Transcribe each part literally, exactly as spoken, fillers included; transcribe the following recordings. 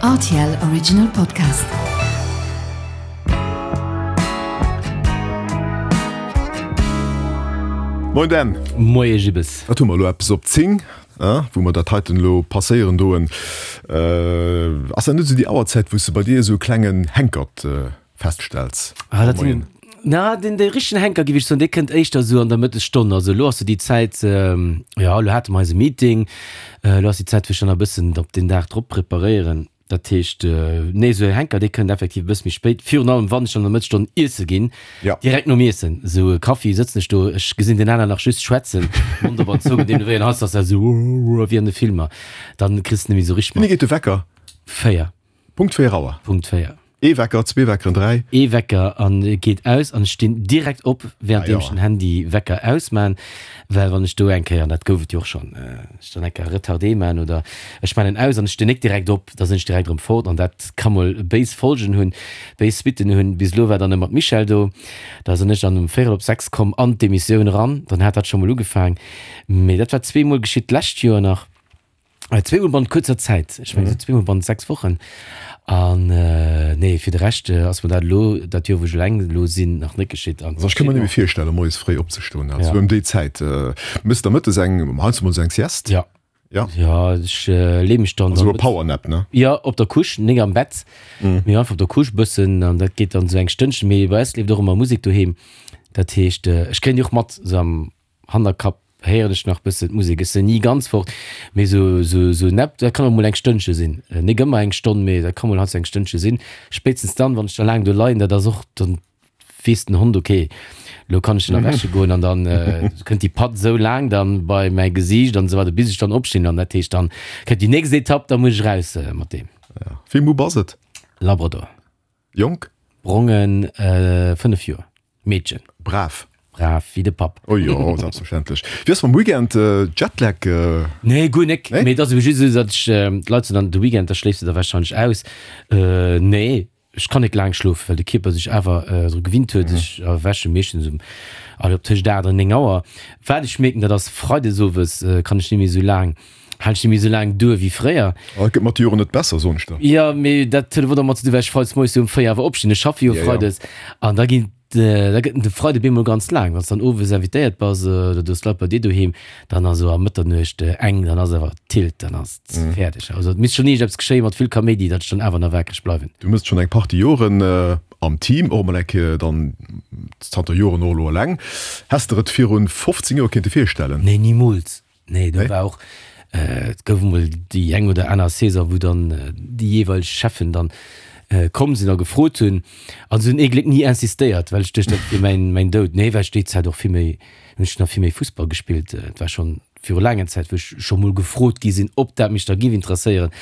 R T L Original Podcast. Moin Dan. Moie Gibbes. Wat hu mer elo? Eppes op zéng, wou mer dat heiten elo passéieren doen. Ass dat net esou déi Auerzäit, wou s de bei dir esou e klengen Henkert feststells? Ah, dat sinn, na, den, de richtegen Henker, géif ech soen, dee kënnt éischter esou an der Mëttesstonn. Also elo ass esou déi Zäit, jo, elo hate mer eise Meeting, elo ass déi Zäit, wou ech dann e bëssen op den Dag drop preparéieren. Dat heescht, nee, esou e Henker, dee kënnt effektiv e bësse méi spéit, virun allem wann ech dann an der Mëttesstonn iesse ginn, Ja. direkt nom Iessen, esou e Kaffi, sëtzen ech do, ech gesinn den aner nach just schwätzen, Mond op an zou, an deem wéi en Hals ass, esou wéi an de Filmer, dann kriss de net méi esou richteg Wéini mat. geet de Wecker? Véier. Punkt véier Auer? Punkt véier. Ee Wecker, zwee Weckeren, dräi? Ee Wecker an e geet aus an ech stinn direkt op, währenddeem Ah, ech jo. den Handy-Wecker ausmaan, well wann ech do eng Kéier, an dat gouf et jo och schonn, ech dann eng Kéier Retardé maan oder ech maan en aus an ech stinn nik direkt op, da sinn ech direkt erëm fort an dat ka mol béis Folgen hunn, béis Suitten hunn. Bis elo war dann ëmmer d'Michèle do, da sinn ech dann um véierel op sechs komm an d'Emissioun eran, dann hat dat scho mol ugefaang. Mee dat war zweemol geschitt d'lescht Joer nach. Zweemol bannent kuerzer Zäit, ech mengen esou zweemol bannent sechs Wochen. An nee, fir de Rescht ass mer dat elo, dat Joer wou ech eleng elo sinn, nach net geschitt. An Also ech ka mer net méi virstellen, moies fréi opzestoen, also ëm déi Zäit. Mëss der mëttes eng, heiansdo mol esou eng Sieste? Ja. Ja. Ja, ech leeë mech dann. Esou e Powernap, ne? Jo, op der Couche, nik am Bett, mee einfach op der Couche bëssen an dat geet dann esou eng Stënnchen. Mee bei eis leeft och ëmmer Musek doheem, dat heescht ech kréien déi och mat esou am Hannerkapp. Héieren ech nach bëssen d'Musek. Ech sinn ni ganz fort, mee sou sou sou nepp, dat kann och mol eng Stënnche sinn. Nik ëmmer eng Stonn, mee dat ka mol heiansdo eng Stënnche sinn. Spéitstens dann, wann ech da laang do leien, dat ass och, dann weess den Hond, okay, lo kann ech en erwäche goen an dann kënnt déi Patt sou laang dann bei mäi Gesiicht an esou weider, bis ech dann opstinn an dat heescht, dann kënnt déi nächst Etapp, da muss ech raus mat deem. Ja. Wéi Mupp ass et? Labrador. Jonk? Brongen, fënnef Joer. Meedchen. Brav. Brav wéi de Papp. Oh jo, selbstverständlech. Wéi ass mam Weekend? Jetlag? Nee, guer nek. Nee? Mee et ass ebe just esou, datt ech, d'Leit soen dann, de Weekend, da schléifs de da warscheinlech aus. Nee, ech kann nek laang schlofen, well de Kierper sech awer dru gewinnt huet. Ech erwäche meeschtens um, allez, op tëscht aacht an néng Auer. Wat ech mierken, dat ass, freides owes kann ech net méi esou laang, halen ech net méi esou laang duer wéi fréier. Oh, et gëtt mat de Joren net besser, soen ech der. Jo, mee dat huet awer domat ze dinn, well ech freides moies jo um véier awer opstinn. Ech schaffe jo Ja, ja. freides an da ginn Da gëtt de Freide bemol ganz laang. Wann s dann owes invitéiert bass oder du hues Leit bei dir doheem, dann ass esou a Mëtternuecht eng, dann ass awer Tilt, dann ass et fäerdeg. Also et misst schonn iergendeppes geschéie mat vill Kaméidi, datt ech dann awer nach waakreg bleiwen. Du mëss schonn eng Partie Joren am Team, och emol eng Kéier dann zanter Joren och elo eleng. Häss der et virun fofzéng Joer kéinte virstellen? Nee, nimools. Nee, do Nee? war och, et gouf emol déi eng oder aner Saison, wou dann déi jeeweileg Cheffen dann komm sinn a gefrot hunn. An se hunn ee Gléck ni insistéiert, well ech duecht, dat wier mäin, mäin Doud. Nee, well ech déi Zäit och vill méi, hunn ech nach vill méi Fussball gespillt. Et war schonn viru laanger Zäit, wou ech scho mol gefrot gi sinn, ob dat mech da giff interesséieren.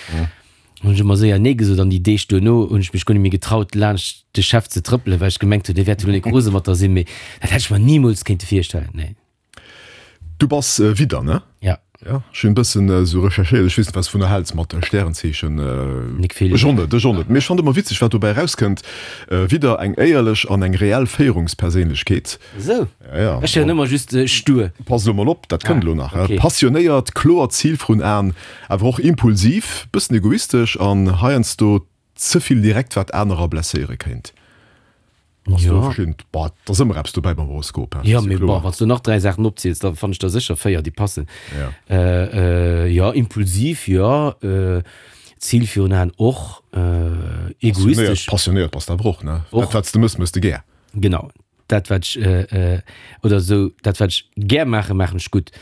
Hunn ech ëmmer séier nee gesot an déi Deeg duerno hunn ech mech guer net méi getraut, laanscht de Chef ze trëppelen, well ech gemengt hunn, dee wäert jo elo net rose mat der sinn. Mee dat hätt ech mer nimools kéinte virstellen, nee. Du bass Widder, ne? Ja. Ja, ech hunn e bëssen esou recherchéiert, ech weess net, wat s de vun der häls mat Stärenzeechen. Nik vill. Ech och net, ech och net. Mee ech fannen ëmmer witzeg, wat dobäi erauskënnt, Widder, eng éierlech an eng reell Féierungsperséinlechkeet. Esou? Ja, ja. Ech héieren ëmmer just stur. Pass elo mol op, dat kënnt elo nach. Ah, okay. Passionéiert, kloert Zil vrun Aen, awer och impulsiv, bëssen egoistesch an heiansdo ze vill direkt, wat anerer blesséiere kéint. Ass do Ja. verschidden, bah, et ass ëmmer eppes dobäi beim Horoskop, hein, Ja, ass jo mee kloer. bon, wann s du nach dräi Saachen opziels, da fannen ech der sécher véier, déi passen. Ja. Äh, äh, ja, impulsiv, jo, äh, Zil virun Aen och, äh, egoistesch. Passionéiert, passionéiert bass de awer och, ne? Och. Dat, wat s de mëss, mëss de gär. Genau, dat wat ech, äh, äh, oder esou, dat wat ech gär maachen, maachen ech gutt.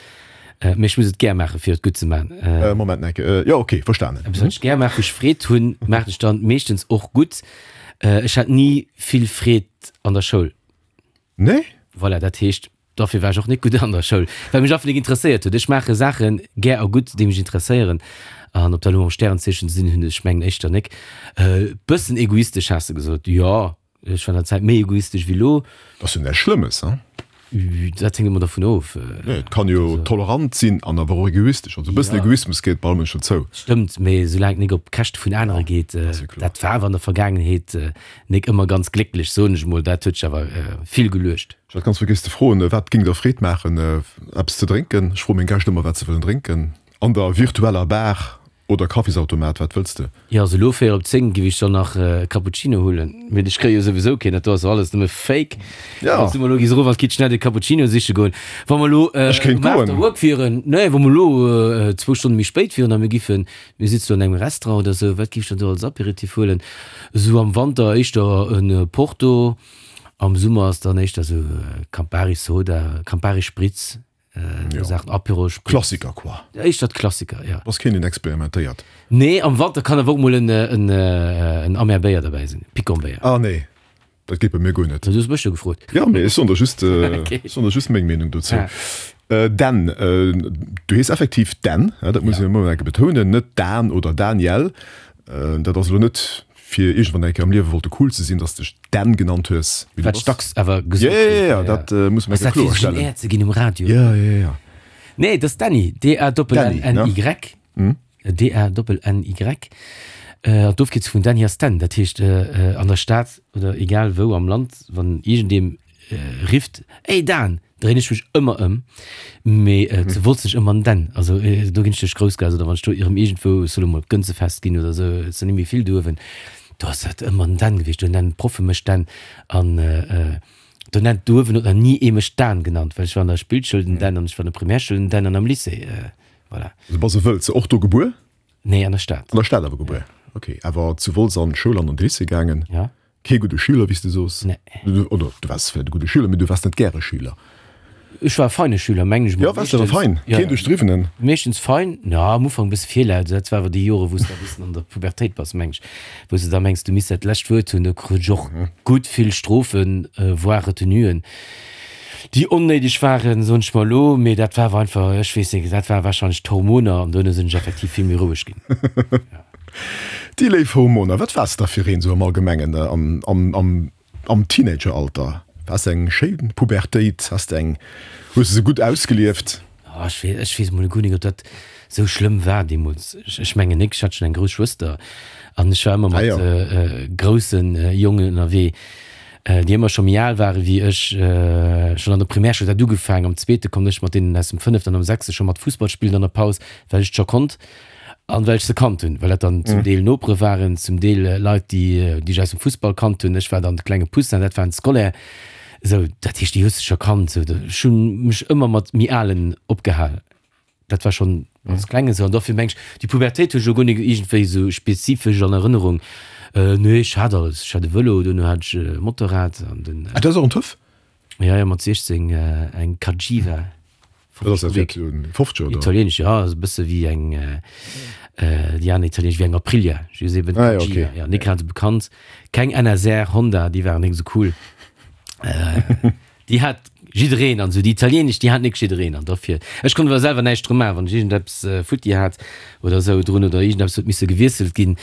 Mee ech muss et gär maachen, fir et gutt ze maachen. Äh, Moment, enke, äh, jo, okay, verstanen. Eppes, wat ech gär maachen, wou ech Freed hunn, maachen ech dann meeschtens och gutt. Ech hat ni vill Freed an der Schoul. Nee? Voilà, dat heescht, dofir war ech och net gutt an der Schoul, well mech einfach nik interesséiert huet. Ech maache Saache gär a gutt, déi mech interesséieren. An ob dat elo mam Stärenzeechen ze dinn hunn, ech mengen éischter nik. Bëssen egoistesch has de gesot. Jo, ech war an der Zäit méi egoistesch wéi elo. Dat ass jo näischt Schlëmmes, hein? Dat hänkt ëmmer dervun of. Nee, et kann jo tolerant sinn an awer och egoistesch. Also e bëssen Egoismus gehéiert bei all Mënsch dozou. Stëmmt, mee soulaang et nik op Käschte vun anere geet. Dat war awer an der Vergaangenheet nik ëmmer ganz glécklech, soen ech mol. Dat huet sech awer vill geluecht. Ech hat ganz vergiess ze froen, wat géing der Freed maachen, eppes ze drénken? Ech froe meng Gäscht ëmmer, wat se wëllen drénken an der virtueller Bar. Oder Kaffisautomat, wat wëlls de? Jo, also elo véier op zéng giff ech dann nach e Cappuccino huelen, mee ech kréie jo souwisou keen, dat do ass jo alles nëmme Fake. Ja. Wann s du mer elo giss erof an d'Kitchenette e Cappuccino siche goen, wa mer elo Ech kéint um goen. After Work wieren, nee, wa mer elo zwou Stonne méi spéit wieren a mir giffen, mir sitzen do an engem Restaurant oder esou, wat giff ech dann do als Apéritif huelen? Esou am Wanter éischter e Porto, am Summer ass dann éischter esou Campari Soda, Campari Spritz. Äh, Saachen, Apéro, Spritz. Klassiker quoi. Éischter d'Klassiker, ja. Bass keen deen experimentéiert. Nee, am Wanter kann awer och mol en, en, en Amer Béier derbäi sinn, Picon Béier. Ah nee, dat geet bei mir guer net. Du hues mech jo gefrot. Ja, mee ech soen der just, ech soen der just meng Meenung dozou. Ah. Dan, du hees effektiv Dan, dat muss een emol eng Kéier betounen, net Dan oder Daniel. Dat ass elo net fir iergendwann eng Kéier am Liewe wollte cool ze sinn, dass de dech Dan genannt hues. Wat ech dacks awer gesot Ja, ja, ja, dat muss mer Ass dat fir sech en Air ze ginn um Radio? Ja, ja, ja. Nee, dat ass Dany, D-A-N-N-Y. D-A-N-N-Y. An d'Ofkierzung vun Dany ass Dan. Dat heescht, an der Stad oder egal wou am Land, wann iergendee rifft, Ey Dan! Dréin ech mech ëmmer ëm, mee zu Wolz sech ëmmer den. Also do ginn ech duerch d'Groussgaass oder wann ech do erëm iergendwou, ech soll elo mol op d'Gënzefest ginn oder esou, et sinn net méi vill do uewen, do ass dat ëmmer den Dan gewiescht. Do nennen d'Proffe mech Dan an do nennt do uewen huet nach ni ee mech Dan genannt, well ech war an der Spillschoul den Dan an ech war an der Primärschoul den Dan an am Lycée, voilà. Du bass e Wëlzer, och do gebuer? Nee, an der Stad. An der Stad awer gebuer, ok. Awer zu Wolz an d'Schoul an an de Lycée gaangen? Ja. Kee gudde Schüler, wéi s de soos? Nee. Oder du waars vläicht e gudde Schüler, mee du waars net gäre Schüler. Ech war e feine Schüler, mengen ech mol. Jo, waars de awer fein? Keen Duerchdriwwenen? Meeschtens fein, ja, am Ufank e bësse virlaut. Dat war awer déi Jore wou s de e bëssen an der Pubertéit bass, meng ech, wou s de da mengs, du misst dat lescht Wuert hunn. Do krut ech och gutt vill Strofen, voire Retenuen, déi onnéideg waren, soen ech mer elo. Mee dat war awer einfach, ech weess net, dat war warscheinlech d'Hormoner an duerno sinn ech effektiv vill méi roueg ginn. Déi léif Hormoner, wat waars de da fir een esou am Allgemengen am Teenageralter? Waars de eng schéin Pubertéit? Has de eng, hues de se gutt ausgelieft? Oh, ech weess, ech weess emol guer nik, ob dat esou schlëmm war deemools. Ech mengen nik, ech hat schonn eng grouss Schwëster an ech war ëmmer mat grousse Jongen ënnerwee, déi ëmmer scho méi al ware wéi ech. Schonn an der Primärschoul huet dat ugefaangen, am zweete konnt ech mat deenen aus dem fënneften an am sechste scho mat Fussball spillen an der Paus, well ech et scho konnt. An well ech se kannt hunn, well dat dann zum Deel Nopere waren, zum Deel Leit, déi déi ech aus dem Fussball kannt hunn. Ech war dann de klenge Poussin, dat waren d'Scolaire. Esou, dat heescht, déi hues de scho kannt. Esou, ech hu mech ëmmer mat méi Alen opgehal. Dat war schonn als Klengen esou. An dofir meng ech, déi Pubertéit hu ech elo guer nik iergendwéi esou spezifesch an Erënnerung. Nee, ech hat alles. Ech hat e Vëlo, duerno hat ech e Motorrad an den. Ah, du has och en Töff? Jo, jo, mat siechzéng eng Cagiva. Dat ass dat fir zu fofzeg oder? Italienesch, jo, ass e bësse wéi eng, déi aner italienesch, wéi eng Aprilia, just eben Ah, ja, Cagiva, okay. ja, nik grad esou bekannt. Keng N S R, Honda, déi waren nik esou cool. Déi hat jiddereen an esou, déi italienesch, déi hat nik jiddereen an dofir, ech konnt awer selwer näischt dru maachen, wann ech iergendeppes futti hat oder esou drun oder iergendeppes huet misse gewiesselt ginn,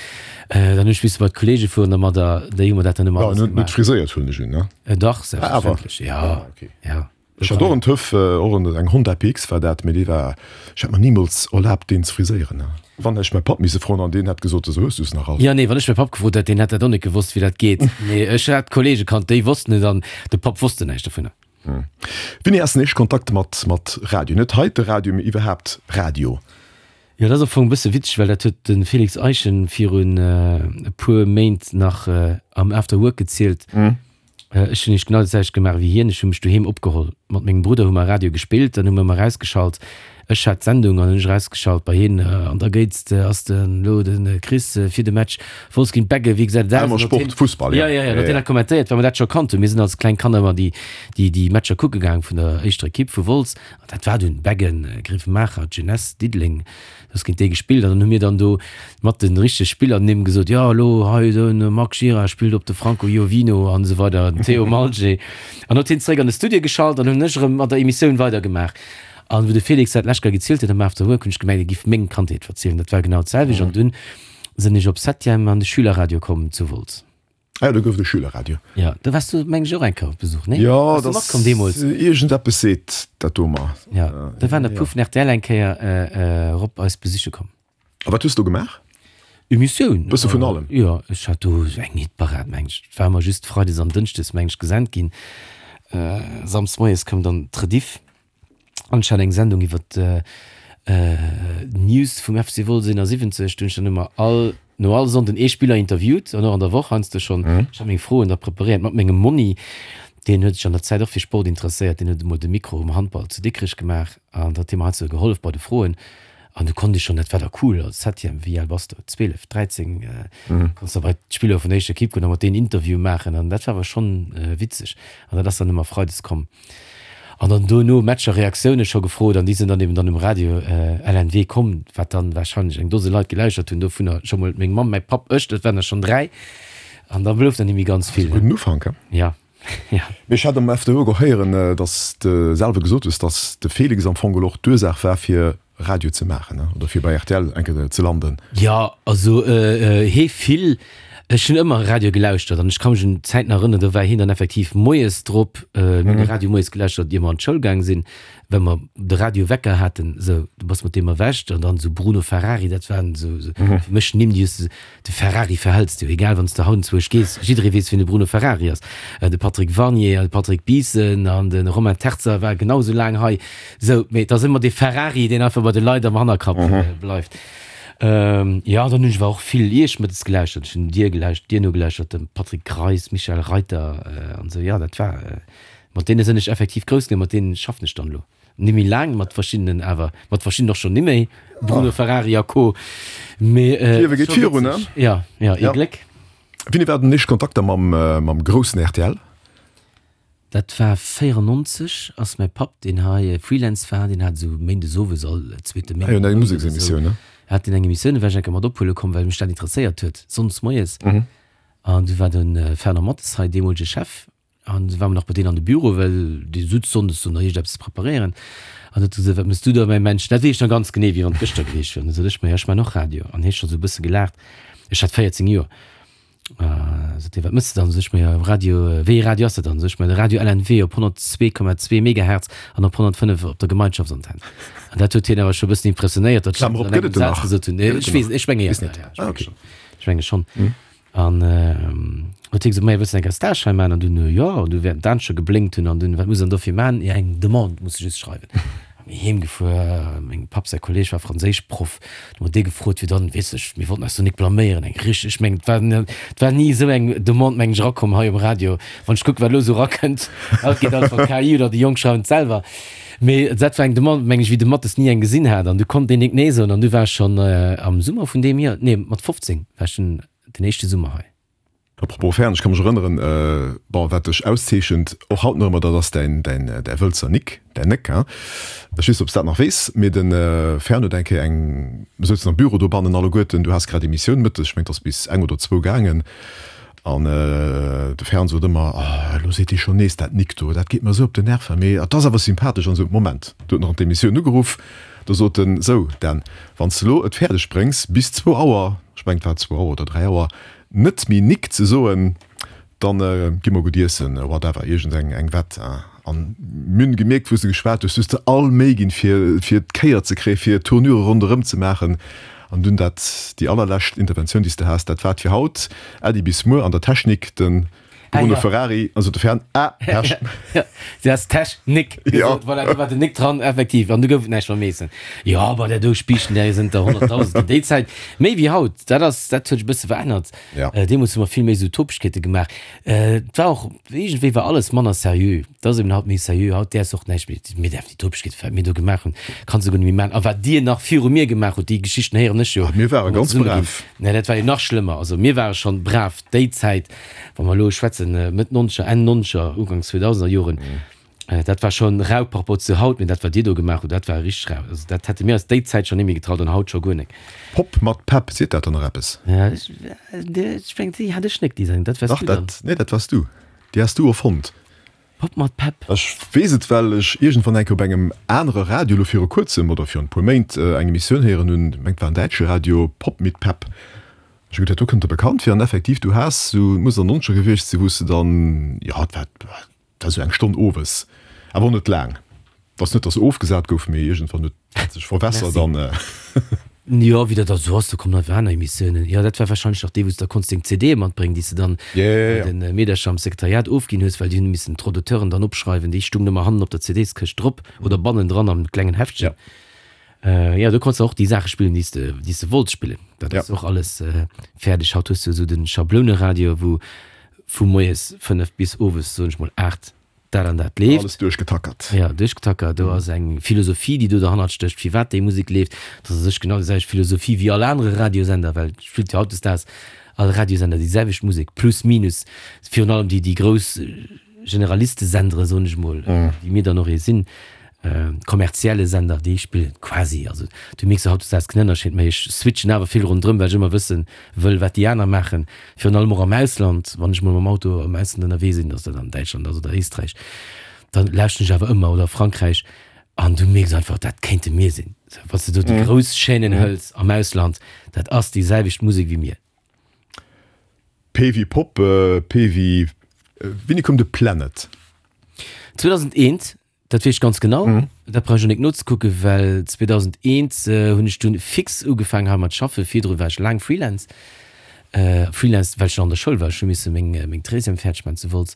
dann hunn ech misse bei d'Kollege fueren dermadder, déi hu mer dat dann ëmmer Ja, alles net, net gemaach. friséiert huelen ech un, ne? Dach, Ah, awer. selbstverständlech, ja, Ah, okay. ja. Ech hat och en Töff, och eng Honda P X war dat, mee dee war, ech hätt mer nimools erlaabt deen ze friséieren. Wann hätt ech mäi Papp misse froen an deen hätt gesot, esou hues du se nach all. Jo, nee, wann ech mäi Papp gefrot hätt, deen hätt dat och net gewosst wéi dat geet. Mee ech hat Kollege kannt, déi wossten et an de Papp wosste näischt dovunner. Wéini ass den éischte Kontakt mat mat Radio, net heite Radio, mee iwwerhaapt Radio? Jo, dat ass am Fong e bësse witzeg, well dat huet de Félix Eischen virun e puer Méint nach am After Work gezielt. Ech hunn nämlech genau dat selwecht gemaach wéi hien. Ech hu mech doheem opgeholl. Mat mengem Brudder hu mer Radio gespillt, dann hu mer ëmmer erausgeschalt. Ech hat d'Sendung an hunn ech erausgeschalt bei hien. An da géit, ass den elo de Chris fir de Match Wolz géint Beggen, wéi gesäit et aus? Elmer Sport, Fussball, ja. Ja, ja, ja, huet hien dat kommentéiert, well mer dat scho kannt hunn. Mir sinn als kleng Kanner ëmmer déi, déi, déi Matcher kucke gaang vun der éischter Ekipp vu Wolz. An dat war dunn Beggen, Grevenmacher, d'Jeunesse, Diddeleng. Ass géint déi gespillt an dann hu mir dann do mat de richtege Spillernimm gesot, jo elo hei de Marc Gira spillt op de Franco Iovino an esou weider, den Théo Malger. An huet hien zeréck an de Studio geschalt an hunn ech erëm mat der Emissioun weidergemaach. An wou de Félix dat d'lescht Kéier gezielt huet am After Work, hunn ech gemengt, e giff meng Kandheet verzielen. Dat war genau d'selwecht. An dunn sinn ech op Septième an de Schülerradio komm zu Wolz. Ah jo, do gouf et e Schülerradio. Jo, do waars du, meng ech, och eng Kéier op Besuch, nee? Jo, Bass du dat matkomm deemools? Iergendeppes seet dat do mer. Jo, do waren der puer vun R T L eng Kéier erop eis besiche komm. A wat hues du do gemaach? Emissioun. Bësse vun allem? Jo, ech hat do eng Hitparad, meng ech. Et war ëmmer just freides an dënschdes, meng ech, gesent ginn. Samsdes moies koum dann d'Rediff. An ech hat eng Sendung iwwer News vum F C Wolz eenasiwwenzeg, do hunn ech dann ëmmer all, no all Sonnden ee Spiller interviewt an och an der Woch heiansdo schonn. Ech hat meng Froen da preparéiert mat mengem Monni, deen huet sech an der Zäit och fir Sport interesséiert, deen huet emol de Mikro um Handball zu Dikrech gemaach an da huet hie mer heiansdo gehollef bei de Froen. An du konnt ech schonn, dat war da cool, als Septième, wéi al bass du, zwielef, dräizéng, konns da bei d'Spiller vun der éischter Ekipp goen a mat deenen Interview maachen an dat war awer schonn witzeg. An dat ass dann ëmmer freides komm. An dann dono Matcher Reaktioune scho gefrot an déi sinn dann eben dann um Radio L N W komm, wat dann wahrscheinlech eng Dose Leit gelauschtert hunn, dovunner scho mol meng Mamm, mäi Papp, ech, dat waren der schonn dräi. An da blouf dann nimmi ganz vill. Gudden Ufank, he? Ja, ja. Mee ech hat am F D O och héieren, datt s de selwer gesot hues, datt de Félix am Fong geholl och d'Ursaach war fir Radio ze maachen, oder fir bei R T L eng Kéier ze landen. Jo, also hee vill. Ech hunn ëmmer Radio gelauschtert an ech ka mech un Zäiten erënneren, do war hien dann effektiv moies drop. Mir hunn de Radio moies gelauschtert, ier mer an d'Schoul gaang sinn, well mer de Radiowecker haten. Sou, du bass mat deem erwächt an dann esou Bruno Ferrari, dat waren esou fir mech Nimm, déi hues de, de Ferrari verhëls du, egal wann s de haut enzwousch gees, jidderee weess, wien de Bruno Ferrari ass. De Patrick Warnier, de Patrick Biissen an de Romain Terzer war genau esou laang hei. Sou, mee et ass ëmmer dee Ferrari, deen einfach bei de Leit am Hannerkapp bleift. Jo, dann hunn ech awer och vill Iech mëttes gelauschtert. Ech hunn dir gelauschtert, dir nogelauschtert, dem Patrick Greis, Michel Reiter an esou. Jo, dat war, mat deene sinn ech effektiv grouss ginn, mat deene schaffen ech dann elo ni méi laang, mat verschiddenen awer, mat verschiddenen och schonn ni méi, Bruno Ferrari a Co. Mee D'Liewe geet virun, ne? Jo, jo, ee Gléck. Wéini war den éischte Kontakt da mam, mam groussen R T L? Dat war véierennonzeg, ass mäi Papp, deen hei Freelance war, deen hat esou méindes owes all zweete Méinden. Ah jo, eng Museksemissioun, ne? Hat deen eng Emissioun, do war ech eng Kéier mat ophuele komm, well mech dat interesséiert huet, sonndes moies. An du war de Fernand Mathes hei, deemolege Chef, an du ware mer nach bei deen an de Büro, well dee sutz sonndes do nach iergendeppes ze preparéieren. An huet e gesot, Wat mëss du da, mäi Mensch? Dat weess ech nach ganz genee, wéi wann et gëschter gewiescht wier. An du sot ech, Ma jo, ech man och Radio. An hie scho sou e bësse gelaacht. Ech hat véierzéng Joer. Sot hie, Wat mëss de dann? Sot ech, Ma jo, Radio, wéi ee Radio ass dat dann? Sot ech, Ma de Radio L N W op honnertzwee Komma zwee Megahertz an op honnertfënnef op der Gemeinschaftsantenn. An dat huet hien awer scho e bëssen impressionéiert, datt ech Klammer op, dat an gëtt et engem en Saz nach? gesot hunn. Nee, Gëtt et ech en weess, nach? ech menge jo, Weess net. ja, ja, ech Ah, menge okay. schonn. Ech menge schonn. An huet hie gesot, Maja, wëlls de eng Kéier Stage hei maachen? An dunn, jo, an du während d'Aen scho geblénkt hunn. An dunn, wat muss een dofir maachen? Jo, eng Demande muss de just schreiwen. A mir heem gefuer, mengem Papp säi Kolleg war Franséischproff, du mat dee gefrot, fir dann, weess ech, mir wollten eis do nik blaméieren, eng richteg, ech mengen, et war, et war ni esou eng Demande, mengen ech, erakomm hei um Radio. Wann ech kucken, wat elo esou erakënnt, haut geet alles mat K I oder déi Jonk schreiwen et selwer. Mee dat war eng Demande, mengen ech, wéi de Mattes ni eng gesinn hat. An du konnt deen nik nee soen. An du war ech schonn am Summer vun deem Joer, nee, mat fofzéng war ech dunn den éischte Summer hei. Apropos Fern, ech ka mech erënneren, bon, wat dech auszeechent, och haut nach ëmmer, dat ass däin, däin, däi Wëlzer Nick, däin Néck, hein. Ech weess net, ob s dat nach weess, mee de Fern huet eng Kéier eng, mir souzen am Büro dobannen alleguerten, du has grad Emissioun mëttes, ech mengen, et ass bis eng oder zwou gaangen, an de Fern sot ëmmer, Oh, elo seet dee schonn nees dat Nick do, dat geet mer esou op den Nerven, mee et ass awer sympathesch an esou. Moment, du huet nach an d'Emissioun ugeruff, do sot en, Sou, Dan, wann s de elo et fäerdeg bréngs, bis zwou Auer, ech mengen, et war zwou Auer oder dräi Auer, net méi Nick ze soen, dann gi mer gutt iessen, whatever, iergend eng eng Wett. An mir hunn gemierkt, wou s de geschwat hues, du hues der all Méi ginn, fir fir d'Kéier ze kréien, fir d'Tournure ronderëm ze maachen. An dunn dat, déi allerlescht Interventioun, déi s de has, dat war et fir haut. Äddi bis muer. An der Technik de Bruno Ferrari, also de Fern, ah, Pech. Du has Technik gesot, voilà, do war den Nick dran, effektiv, an du gouf et näischt mam Eessen. Jo, bei där do Spiichten, där sënn der honnertdausend ginn. Déi Zäit, méi wéi haut, dat ass, dat huet sech e bësse verännert. Deemools hu mer vill méi esou Topegkeete gemaach. Et war och, iergendwéi war alles manner seriö. Et ass eben haut méi seriö. Haut däerfs och näischt méi, mir däerfen déi Topegkeete, wat mir do gemaach hunn, kanns de guer net méi maachen. A wat dir nach viru mir gemaach hutt, déi Geschichten héieren ech jo. Mir ware ganz brav. Nee, dat war jo nach schlëmmer. Also mir ware schonn brav déi Zäit. Wa mer elo schwätzen, Mëtt Nonzeger, Enn Nonzeger, Uganks Zweedausender Joren, dat war schonn rau par rapport zu haut, mee dat wat Dir do gemaach hutt, dat war richteg rau. Also dat hätte mir eis déi Zäit schonn net méi getraut an haut scho guer nek. Pop mat Pepp, seet dat der nach eppes? Ech mengen, déi hat ech nek, déi Sendung, dat waars Dach, du dann. dat, nee, dat waars du. Déi has du erfonnt. Pop mat Pepp. Ech weess et, well ech iergendwann eng Kéier op engem anere Radio, elo viru kuerzem oder virun e puer Méint, eng Emissioun héieren hunn, ech mengen, et war en däitsche Radio, Pop mit Pepp. Ech hu geduet, do kënnt der bekannt vir. An effektiv, du has sou, et muss an den Nonzeger gewiescht sinn, wou s de dann, jo, et war, et war sou eng Stonn owes, awer och net laang. Et ass net, datt se ofgesat gouf, mee iergendwann huet dat sech verwässert Merci. an. Jo, wéi dat da sou ass, do kommen einfach aner Emissiounen. Jo, dat war wahrscheinlech nach déi, wou s de da konns deng C D'e matbréngen, déi s de dann Ja, ja, bei ja. de Meedercher am Sekretariat ofginn hues, well déi hunn missen d'Droits d'auteuren dann opschreiwen. Déi stungen ëmmer hannen op der C Ds-Këscht drop oder bannendran am klengen Heftchen. Ja. Jo, do konns de och déi Saache spillen, déi s de, déi s de wollts spillen. Dat Ja. ass och alles fäerdeg. Haut hues du esou de Schabloneradio, wou vu moies fënnef bis owes, soen ech mol, aacht dat an dat leeft. Alles duerchgetackert. Ja, duerchgetackert. Do ass eng Philosophie, déi do derhannert stécht, firwat déi Musek leeft. Dat ass u sech genau déi selwecht Philosophie wéi all anere Radiosender, well et spillt jo hautdesdaags all Radiosender déi selwecht Musek, plus minus. Virun allem déi, déi grouss Generalistesendere, soen ech mol, déi mir dann och ee sinn, kommerzielle Sender, déi spillen quasi, also du mierks jo hautdesdaags keen Ënnerscheed méi. Ech switchen awer vill ronderëm, well ech ëmmer wësse wëll, wat déi aner maachen, virun allem och am Ausland. Wann ech mol mam Auto am Ausland ënnerwee sinn, ass dat an Däitschland ass oder Éisträich, da lauschten ech awer ëmmer, oder Frankräich, an du mierks einfach, dat kéinte mir sinn. Wann s de do déi grouss Chaînen hëls am Ausland, dat ass déi selwecht Musek wéi mir. P wéi Pop, P wéi, wéini koum de Planet? zweedausendeent, dat weess ech ganz genau. Dat brauch ech och nik nozekucken, well zweedausendeent hunn ech dunn fix ugefaangen hei mat schaffen. Virdru war ech laang Freelance, Freelance well ech nach an der Schoul war. Ech hu misse meng meng Treizième fäerdeg maachen zu Wolz.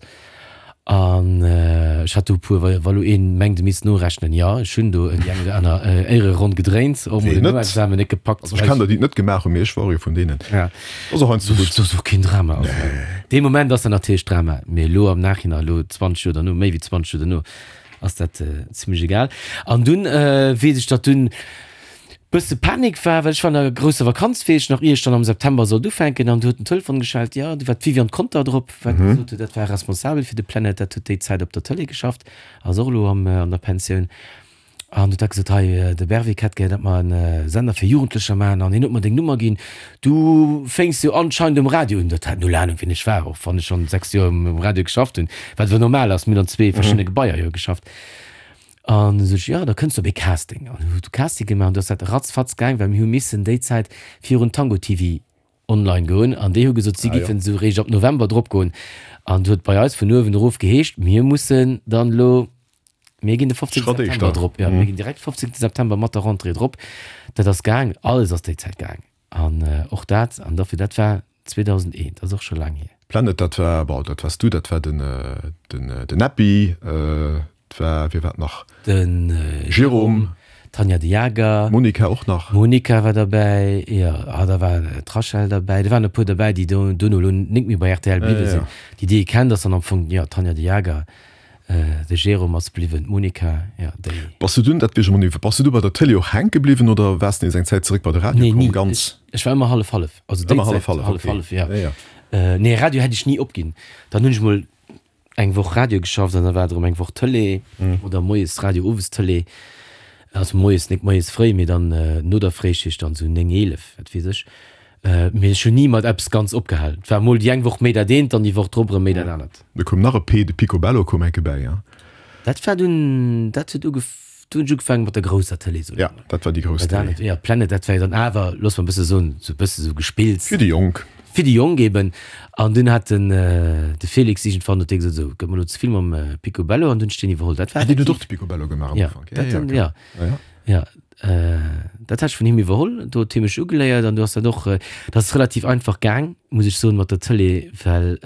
An ech hat do e puer, wa lo een mengt e misst norechnen, jo ech hunn do déi eng oder aner Éiereronn gedréint, och mol Ween den net? Noexamen net gepackt. Also ech kennen der déi et net gemaach hunn, mee ech war och ee vun deenen. Ja. Ass och heiansdo gutt. Dat ass och keen Drama. Also dee Moment ass dat natierlech Drama, mee elo am Nachhinein, elo zwanzeg Joer derno, méi wéi zwanzeg Joer derno, ass dat zimlech egal. An dunn weess ech, datt dunn Bësse Panik war, well ech war an der grousser Vakanz, wéi ech nach, ier ech dann am September sollt ufänken, an du huet den Telefon geschellt, jo, du war d'Viviane Conter drop, wat gesot huet, dat war responsabel fir de Planet, dat huet déi Zäit op der Tëlee geschafft, ass och elo am, an der Pensioun, an huet da gesot, hei, de Berwick hätt gär, datt mer en Sender fir Jugendlecher maachen, an hien huet mer deng Nummer ginn, du fénks jo anscheinend um Radio un. Dat hat null Anung, wien ech war, och wann ech schonn sechs Joer um Radio geschafft hunn, wat awer normal ass, mir hunn an zwee verschiddene Gebaier jo geschafft. An du sot ech, jo, da kënns du op ee Casting. An hu du Casting gemaach an du ass dat ratzfatz gaang, well mir hu missen déi Zäit virun Tango T V online goen an déi hu gesot, si Ah, jo. giffen esou réischt ab November drop goen. An du huet bei eis vun uewen erof geheescht, mir mussen dann elo, mir ginn de fofzéngte Schratt September éischter. drop, jo, mir ginn direkt fofzéngte September mat der Rentrée drop. Dat ass gaang, alles ass déi Zäit gaang. An och dat, an dofir, dat war zweedausendeent, dat ass och scho laang hier. Planet, dat war, bon, dat wars du, dat war den, den, den Näppi, et war, wie war et nach? Den Jérôme. D'Tanja de Jager. D'Monica och nach. D'Monica war derbäi, jo. Ah, da war d'Rachel derbäi. Do waren e puer derbäi, déi do, duerno elo nik méi bei R T L bliwwe sinn. Déi, déi ee kennt, ass dann am Fong, jo, d'Tanja de Jager, de Jérôme ass bliwwen, d'Monica, jo, déi. Bass du dunn, dat weess ech emol net, bass du du bei der Tëlee och hänke bliwwen oder waars de nees eng Zäit zeréck bei de Radio Nee, komm? ni. Ganz? Ech, ech war ëmmer hallef-hallef. Also déi Ëmmer Zäit hallef-hallef, okay. hallef-hallef, jo. Ja, ja. Nee, Radio hätt ech ni opginn. Dann hunn ech mol eng Woch Radio geschafft an da war et erëm eng Woch Tëlee oder moies Radio, owes Tëlee. Also moies, nik moies fréi, mee dann no der Fréischicht, dann esou néng, eelef, wat weess ech. Mee ech hunn ni mat eppes ganz opgehal. Et war mol déi eng Woch méi dat eent, dann déi Woch drop erëm méi dat anert. Da koum nach e P, de Picobello koum enke bäi, ja? Dat war dunn, dat huet ugef, do hunn ech ugefaangen mat der grousser Tëlee, soen Ja, ech mol. dat war déi grouss Dat Tëlee. anert, ja, Planet, dat war jo dann awer, looss mer e bësse soen, esou e bësse sou Gespills. Fir déi Jonk. Fir déi Jonk eben. An dunn hat den, de Félix iergendwann huet dee gesot, esou, gëtt mer elo ze vill mam Picobello, an dunn hunn ech deen iwwerholl. Dat war Ah, deen huet effektiv. och de Picobello gemaach am Ja, Ufank. Ja, dat ja, dann, okay. ja. Ja, ja. Ja, dat hat ech vun him iwwerholl. Do huet hie mech ugeléiert an du ass dat och, dat ass relativ einfach gaang, muss ech soen, mat der Tëlee, well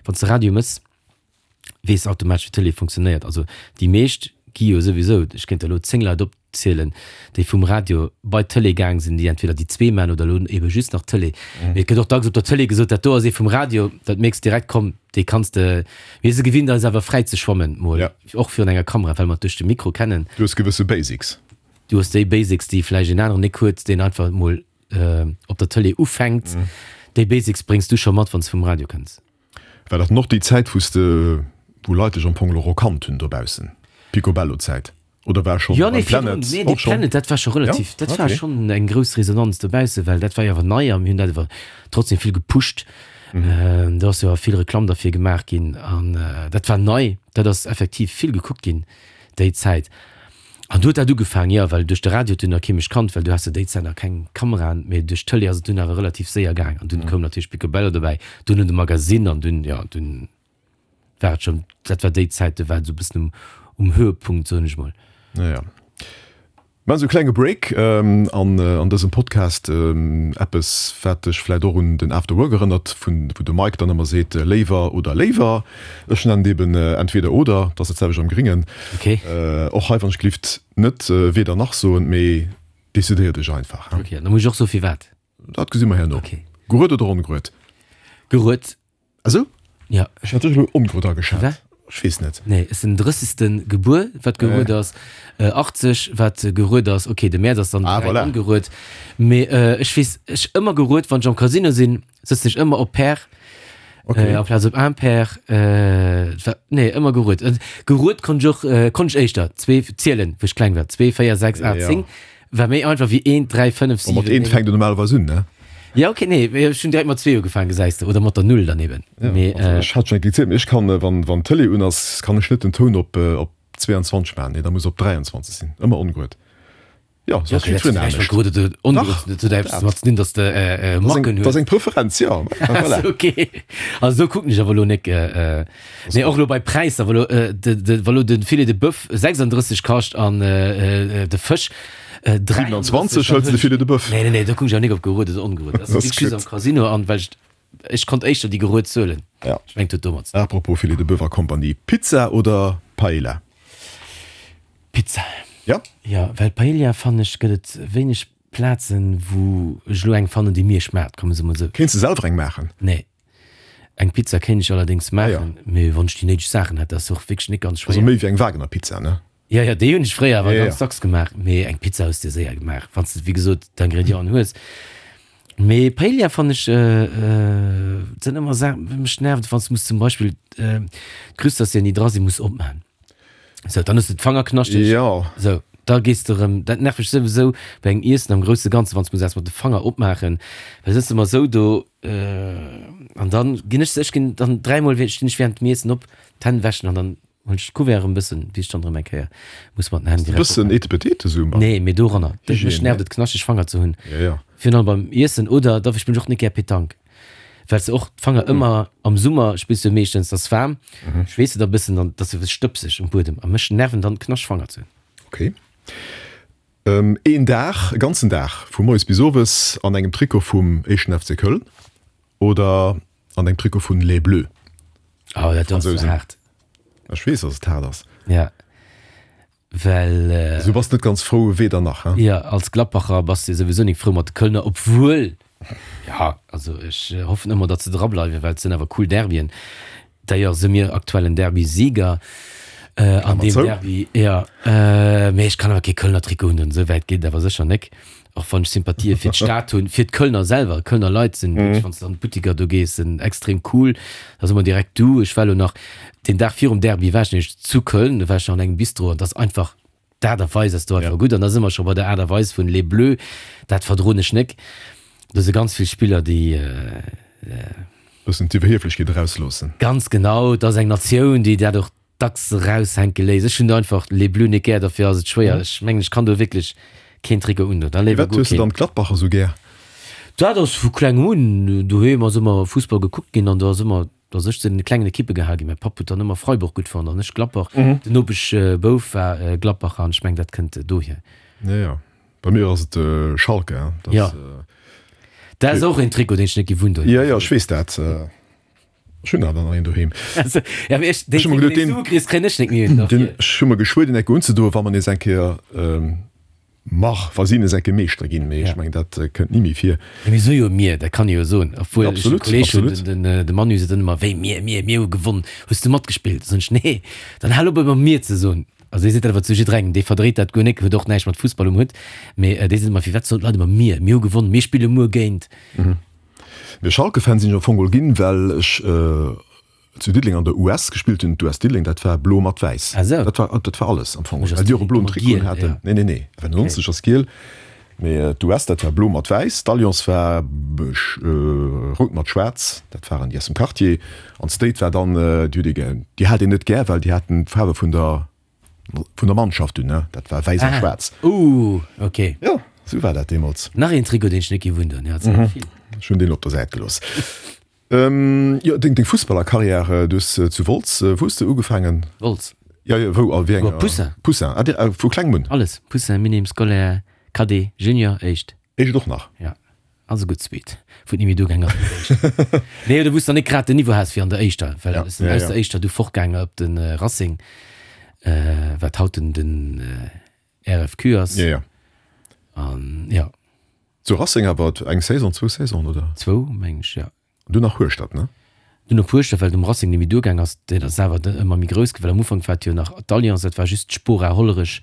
wann s de Radio mëss, weess de automatesch, wéi d'Tëlee funktionéiert. Also déi meescht gi jo souwisou, ech kéint der elo zéng Leit opzielen, déi vum Radio bei d'Tëlee gaang sinn, déi entweder déi zwee man oder elo ebe just nach Tëlee. Mee et gëtt och dacks op der Tëlee gesot, dat do ass ee vum Radio, dat mierks direkt, komm, dee kanns de. Mir si gewinnt eis awer fräi ze schwammen, mol och virun enger Kamera, well mer et duerch de Mikro kennen. Du hues gewësse Basics. Du hues déi Basics, déi vläicht een aneren nik huet, deen einfach mol op der Tëlee ufänkt. Déi Basics bréngs du scho mat, wann s de vum Radio kënns. War dat dann och déi Zäit, wou s de, wou Leit dech am Fong elo erkannt hunn dobaussen? Picobello-Zäit? Oder war schonn Jo, nee, beim virdrun, Planet nee, déi och schonn? Planet, dat war scho Ja? relativ, dat war Okay. schonn eng grouss Resonanz dobaussen, well dat war jo awer nei a mir hunn dat awer trotzdem vill gepusht. Do ass jo awer vill Reklamm derfir gemaach ginn an dat war nei, dat ass effektiv vill gekuckt ginn déi Zäit. An du huet dat ugefaangen, jo, well duerch de Radio huet dunn nach kee mech kannt, well du has jo déi Zäit nach keng Kameraen, mee duerch d'Tëlee ass et dunn awer relativ séier gaang an dunn koum natierlech Picobello dobäi, dunn de Magasinn an dunn, jo, dunn war et schonn, dat war déi Zäit, do war et esou e bëssen um, um Höhepunkt, soen ech mol. Ja, ja. Mir maachen esou e klenge Break an an dësem Podcast. Eppes, wat dech vläicht och un den After Work erënnert, vun wou de Mike dann ëmmer seet, léiwer oder léiwer. Ech nennen et eben entweder oder, dat ass dat selwecht am Gringen. Okay. Och hei wann ech gelift net weder nach soen, mee decidéier dech einfach. Okay, an da muss ech och soe firwat? Dat gesi mer herno. Okay. Gerued oder ongerued? Gerued. Ah sou? Ja. Ech hat dech elo ongerued ageschat. Firwat? Ech weess net. Nee, ech sinn drëssegste gebuer, wat gerued ass. Achtzeg, wat gerued ass. Okay, de Mäerz ass dann Ah, direkt voilà. ongerued. Mee ech weess, ech ëmmer gerued, wann ech am Casino sinn, sëtzen ech ëmmer op Pair. Okay. Amplaz op Impair. Wat, nee, ëmmer gerued. Gerued konnt ech och, konnt ech éischter zwee zielen, wou ech kleng war. Zwee, véier, sechs, aacht, Ja. zéng. War méi einfach wéi eent, dräi, fënnef, Bon, mat siwen, eent néng. fänkt een normalerweis un, ne? Ja, okay, nee, mee ech hunn direkt mat zwee ugefaangen, gesäis de, oder mat der Null dann eben. Ja, Mee, also äh, ech hat schon eng gezielt, mee ech kann, wann, wann d'Tëlee un ass, kann ech net den Toun op, op zweiundzwanzeg maachen, nee, da muss op dräiundzwanzeg sinn, ëmmer ongerued. Ja, so ass okay, dat jiddwereen huet näischt mat anescht. gerued oder ongerued Dach, ze dinn, dat huet eppes dat. domat ze dinn, dass de, äh, äh, Dat ass eng, Macken dat ass hues. eng Preferenz, ja, voilà. Okay, also sou kucken ech awer elo nek, äh, äh, nee, och elo bei Präisser, wa lo, äh, de, de, wa lo de Filet de Boeuf sechsunddrësseg kascht an, äh, äh, de Fësch, Äh, siebenundzwanzeg hëls de Filet de Boeuf. Nee, nee, nee, do kucken ech awer nik op gerued oder ongerued. Dat ass Das just am Casino an well ech, ech konnt éischter déi gerued zuelen. Ja. Ech mengen, dat huet domat ze dinn. Apropos Filet de Boeuf a Compagnie, Pizza oder Paella? Pizza. Ja? Ja, well Paella fannen ech gëtt et wéineg Plazen, wou ech elo eng fannen, déi mir schmaacht, komme se mol esou. Kéints de selwer eng maachen? Nee. Eng Pizza kéint ech allerdéngs maachen, Ah, ja. mee wann ech déi néideg Saachen hätt, dat ass och wierklech nik ganz schwéier. Also méi wéi eng Wagner Pizza, ne? Ja, ja, déi hunn ech fréier awer Ja, ganz ja. dacks gemaach. Mee eng Pizza hues de séier gemaach, wann s de, wéi gesot, d'Ingredienten hues. Mee Paella fannen ech, et sinn ëmmer Saachen, mech nervt et, wann s de muss zum Beispill d'Crustacéen, déi dra sinn, muss opmaachen. Sou, dann hues de d'Fanger knaschteg. Ja. Sou, da gees de erëm, dat nervt mech souwisou bei engem Iessen am grousse Ganze, wann s de muss eppes mat de Fanger opmaachen, well sëtz de ëmmer sou do, an dann ginn ech, ech ginn dann dräimol, stinn ech während dem Iessen op, d'Hänn wäschen an dann Hunn ech d'Couvert erëm bëssen, wéi ech dann erëm eng Kéier muss mat den Hänn direkt Bëssen Etepetete sou mat. Nee, mee doranner. Mech Hygiène, nervt ne? et knaschteg Fanger ze hunn. Ja, ja. Virun allem beim Iessen oder da spillen ech och net gär Petanque, well s de och d'Fanger ëmmer, am Summer spills du jo meeschtens, 't ass waarm, schweesst de da bëssen, dann 't ass jo stëbseg um Buedem a mech nerven dann knaschteg Fanger ze hunn. Okay. Een Dag, e ganzen Dag, vu moies bis owes an engem Trikot vum éischten F C Köln oder an engem Trikot vun Les Bleus? Oh, dat ass Fransousen. haart. Ech weess, dass et haart ass. Ja. Well. Äh, Also du bass net ganz frou, weder nach, hein? Ja, als Gladbacher bass de souwisou nik frou mat de Kölner, obwuel, ja, also ech hoffen ëmmer, datt se drableiwen, well et sinn awer cool Derbyen. D'ailleurs si mir aktuellen Derby-Sieger äh, an Klammer deem zou. Derby. Ja, äh, mee ech kann awer kee Kölner Trikot hunn, esou wäit geet et awer sécher nik. Och wann ech Sympathië fir d'Stad hunn, fir d'Kölner selwer. Kölner Leit sinn wierklech, wann s de an d'Buttiker do gees, sinn extrem cool. Da si mer direkt du. Ech war elo nach, deen Dag virum Derby war ech nämlech zu Köln, do war ech nach an engem Bistro an dat ass einfach, d'Aart a Weis ass do einfach gutt. An da si mer scho bei der Aart a Weis vun Les Bleus, dat verdroen ech nek. Do si ganz vill Spiller, déi. Bëssen d'Iwwerhieflechkeet erausloossen. Ganz genau, et ass eng Natioun, déi dat och dacks eraushänke léisst. Ech hunn einfach Les Bleus net gär, dofir ass et schwéier. Ech mengen, ech kann do wierklech keen Trikot undoen, da léiwer Firwat guer hues de keen. dann d'Gladbacher sou gär? Dat ass vu klengem un. Doheem ass ëmmer Fussball gekuckt ginn an do ass ëmmer, do ass ech zu den klengen Ekippe gehal ginn. Mäi Papp huet dann ëmmer Freiburg gutt fonnt an ech Gladbach. Den Nopeschbouf war Gladbacher an ech mengen, dat kënnt dohier. Ja, ja. Bei mir ass et Schalke, hein. Dat, Ja. Dat ass och een Trikot, deen ech net gewunnt hunn. Ja, ja, ech weess dat. Ech hunn awer nach een doheem. Also, ja, mee ech, deen Ech hu mer Trikot, geduet, deen s deen, du kriss, kréien ech net méi un. deen, ech hu mer geschwuer, deen enke unzedoen, wa mer nees eng Kéier, mach, wa si nees eng Kéier Meeschter ginn. Mee Ja. ech mengen, dat kënnt ni méi vir. Ja, mir soe jo mir, dat kann ee jo soen. Obwuel ech e Absolut, Kolleeg hunn, absolut. den, den, de Manu seet dann ëmmer, wéi mir, mir, mir hu gewonn, hues du matgespillt? Da soen ech, nee, dann hal op ëmmer mir ze soen. Also dee seet dat awer zu jidderengem, dee verdréit dat guer nik, huet och näischt mat Fussball um Hutt, mee dee seet ëmmer, firwat soen d'Leit ëmmer mir, mir hu gewonnen, mir spille muer géint. Mee Schalke-Fan sinn ech am Fong geholl ginn, well ech zu Diddeleng an der U S gespillt hunn. D'U S Diddeleng, dat war blo mat wäiss. Ah sou. Dat war, dat war alles am Fong, Mech ass well déi och e direkt bloen ëmmer Trikot giel, haten. ja. Nee, nee, nee, F nonzeg ass giel. Mee d'U S, dat war blo mat wäiss. D'Alliance war rout mat schwaarz, dat waren déi aus dem Quartier. An d'State war dann, déi huet ee gär, déi hat een net gär, well déi haten d'Faarwe vun der, vun der Mannschaft un, ne? Dat war wäiss a Ah, schwaarz. uh, okay. Jo, sou war dat deemools. Nach een Trikot, deen ech net gewunnt hunn, jo, et sinn der vill. Ech hunn deen op der Säit gelooss. Jo, deng, deng Fussballerkarriär, du hues zu Wolz, wou hues de ugefaangen? Wolz. Jo, jo, wou a wéi enger? Poussin. Poussin, ah, dir, vu klengem un? Alles, Poussin, Minim, Scolaire, Cadet, Junior, Éischt. Éischt och nach? Ja, also gutt zweet, wou et ni méi duergaang ass mat der Éischter. Nee, oder wou s de dann net grad den Niveau has wéi an der Éischter, well Ja, ech sinn ja, aus ja. der Éischter du fortgaangen op de Racing, wat haut den, den RFQ ass. Ja, ja. An ja. Zu Racing awer eng Saison, zwou Saisonen, oder? Zwou, meng ech, ja. An dunn nach Hueschtert, ne? Dunn op Hueschtert, well et um Racing net méi duergaang ass. Dat ass awer ëmmer méi grouss ginn, well am Ufank war et jo nach d'Alliance, dat war just d'Spora Hollerech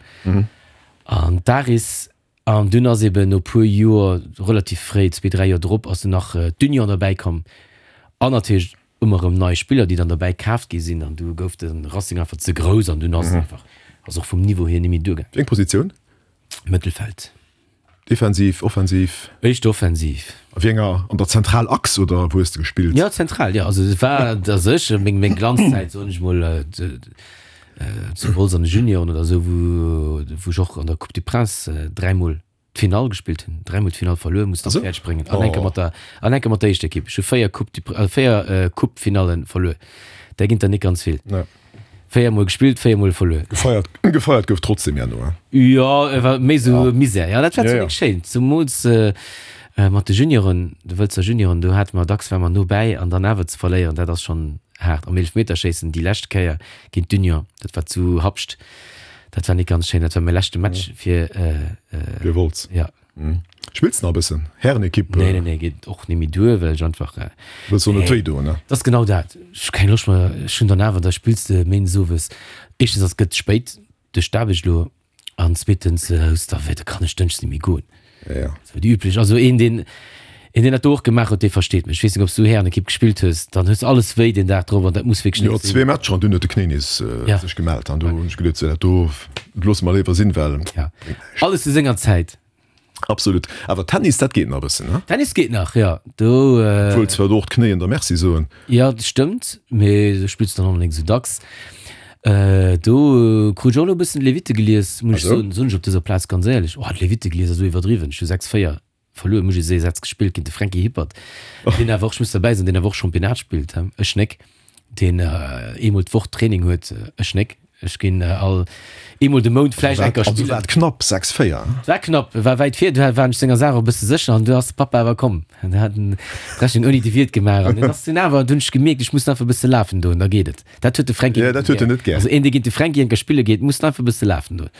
an d'Aris. An dunn ass eben no puer Joer, relativ fréi, zwee, dräi Joer drop, ass dunn nach d'Union derbäi komm. An natierlech ëmmer erëm nei Spiller, déi dann derbäi kaaft gi sinn. An du gouf de Racing einfach ze grouss an dunn ass et einfach, ass och vum Niveau hier net méi duergaang. Wéi eng Positioun? Mëttelfeld. Defensiv, offensiv? Éischter offensiv. A wéi enger, an der Zentralachs oder wou hues de gespillt? Jo, zentral, jo. Also et war a sech meng, meng Glanzzäit, soen ech mol, zu Wolz an de Junioren oder esou, wou, wou ech och an der Coupe du Prince dräimol d'Finall gespillt hunn, dräimol d'Finall verluer, muss dann fäerdeg bréngen an enke mat der, an enke mat der éischter Ekipp. Ech hu véier Coupe du, véier Coupe-Finalle verluer. Där ginn der net ganz vill. Véier mol gespillt, véier mol verluer. Gefeiert, gefeiert gouf trotzdem ja no, hein? Jo, et war méi sou Misär. Jo, dat war zwar Ja, ja. nik schéin, zemools mat de Junioren, de Wëlzer Junioren, do hate mer dacks, ware mer no bäi an dann awer ze verléieren, dat ass schonn haart. Am Eelefmeterschéissen déi lescht Kéier géint d'Union, dat war zu Habscht, dat war nik ganz schéin. Dat war mäi leschte Match fir, Fir Wolz. Ja. Spills de nach e bëssen? Härenekipp? Nee, nee, nee, geet och net méi duer, well ech einfach. Wëlls och net wéi doen, ne? Dat ass genau dat. Ech hu keng Loscht méi. Ech hunn dann awer, da spills de méindes owes. Éischtens ass, gëtt spéit duerch d'Aarbecht elo an zweetens hues de da wéi, da kann ech dënschdes net méi goen. Ja, ja. Sou déi üblech. Also een, deen, een, deen dat do och gemaach huet, dee versteet mech. Ech weess net, ob s du Härenekipp gespillt hues, dann hues de alles wéi deen Dag drop an dat muss wierklech Jo, net sinn. zwee Matcher an dunn huet de Knéi nees sech gemellt an do hunn ech geduet, sou dat do loosse mer léiwer sinn, well Ja. bréngt näischt. Alles zu senger Zäit. Absolut. Awer Tennis, dat geet nach e bëssen, ne? Tennis geet nach, jo. Do. Obwuel zwar do och d'Knéien der Merci soen. Jo, dat stëmmt, mee do spills de dann och net esou dacks. Do krut ech och elo e bëssen d'Levitte gelies, muss ech soen, soen ech op dëser Plaz ganz éierlech. Oh, d'Levitte gelies ass esou iwwerdriwwen. Ech hu sechs, véier verluer, muss ech soen, Sätz gespillt géint de Franky Hippert, deen awer och, ech muss derbäi soen, deen awer och Championnat spillt, he, ech nek. Deen eemol d'Woch Training huet, ech nek. Ech ginn all eemol de Mount vläicht eng Kéier Also spillen. war et knapp, sechs, véier? Et war knapp, e war wäit vir, du war ech senger Saach och e bësse sécher an du ass de Pappa awer komm. An hat en d'Rechnung ouni de Wiert gemaach an en ass dunn awer, dunn hunn ech gemierkt, ech muss einfach e bësse lafen doen, da geet et. Dat huet de Fränki Ja, dat huet en net gär. Also een, dee géint de Fränki eng Kéier spille geet, muss einfach e bësse lafen doen.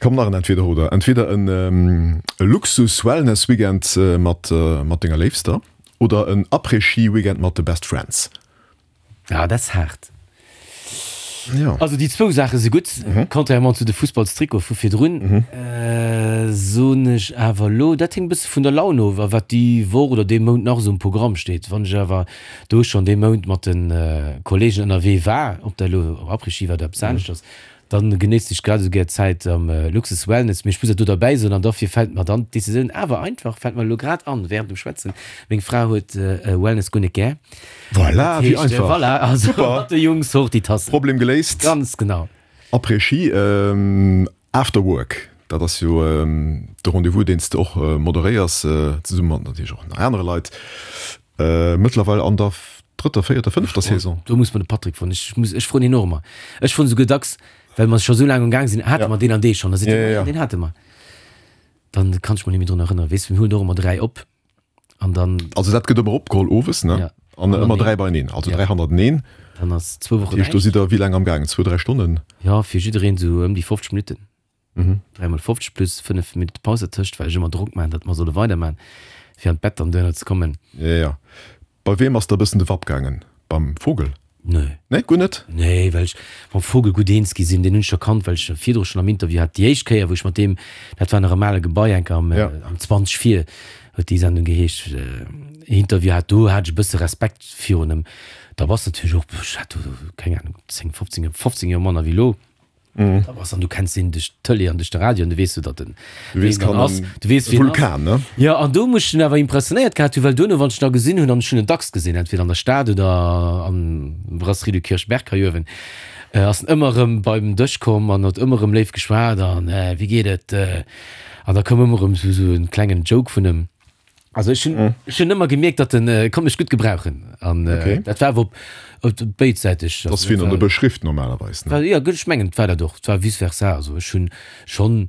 Komm, nach en Entweder-oder. Entweder en Luxus-Wellness-Weekend mat mat denger Léifster oder en Après-Ski-Weekend mat de Best Friends. Ah, dat ass haart. Ja. Also déi zwou Saache si gutt, contrairement zu de Fussballstrikote vu virdrun. Soen ech awer elo, dat hänkt e bësse vun der Laun of a wat déi Woch oder dee Mount nach esou um Programm steet. Wann ech awer do schonn dee Mount mat de Kolleegen ënnerwee war, ob dat elo Après-Ski war oder eppes aneschters, Dann genéisst ech grad esou gär d'Zäit am Luxus Wellness, mee ech muss dat do derbäi soen, an dofir fält mer dann d'Decisioun awer einfach, fält mer elo grad an während dem Schwätzen, meng Fra huet Wellness guer net gär. Voilà, Dat wéi heescht, einfach. voilà, also Super. mat de Jungs hoch déi Tassen. Problem geléist. Ganz genau. Après-Ski, After Work, dat ass jo de Rendez-vous, deen s de och moderéiers, zesumme mat natierlech och nach anere Leit, mëttlerweil an der drëtter, véierter, fënnefter Saison. Do muss mer de Patrick froen. Ech muss, ech froen hien och ëmmer. Ech froen esouguer dacks, well mer scho sou laang um Gaang sinn, hate mer deen an dee schonn? Da seet hien, jo, deen hate mer. Dann kann ech mech net méi drun erënneren. Weess, mir huelen och ëmmer dräi op an dann. Also dat gëtt ëmmer opgeholl owes, ne? Ja. An ëmmer dräi beieneen, also dräi hannerteneen. Dann ass zwou Wochen Dat heescht, do sidd der wéi laang am Gaang? Zwou, dräi Stonnen? Jo, fir jiddereen esou ëm déi fofzeg Minutten. Dräi mol fofzeg plus fënnef Minutte Paus dertëscht, well ech ëmmer Drock maachen, datt mer solle weiderman, fir an d'Bett dann duerno ze kommen. Jo, jo. Bei weem ass der e bëssen de Wapp gaangen? Beim Vogel? Nee. Nee, guer net? Nee, well ech mam Vogel gutt eens gi sinn. Deen hunn ech scho kannt, well ech e virdru schonn am Interview hat. Déi éischt Kéier, wou ech mat deem, dat war nach am ale Gebai, enker am, am zwanzeg vir huet déi Sendung geheescht, Interview hat, do hat ech e bësse Respekt virun em. Da bass de natierlech och, ech hat do, keng Ahnung, zéng, fofzéng, fofzéng Joer manner wéi elo. Da bass an du kenns deen duerch d'Tëlee an duerch de Radio an du weess du, datt en Du weess, wien kann dann ass. en Du weess, wien ass. Vulkan, ne? Jo, an do muss ech en awer impressionéiert gehat hunn, well duerno, wann ech en da gesinn hunn, an ech hunn en dacks gesinn, entweder an der Stad oder am Brasserie du Kirchberg hei uewen, ass en ëmmer erëm beim Dësch komm an huet ëmmer erëm léif geschwat an, Wéi geet et? An da koum ëmmer erëm esou en klengen Joke vun em. Also ech hunn ech hunn ëmmer gemierkt, datt en konnt mech gutt gebrauchen an Okay. dat war awer op op béidsäiteg. Dat ass wéi an der Beschrift normalerweis, ne? War, jo, ech mengen et war dat och, et war vice versa. Also ech hunn schonn,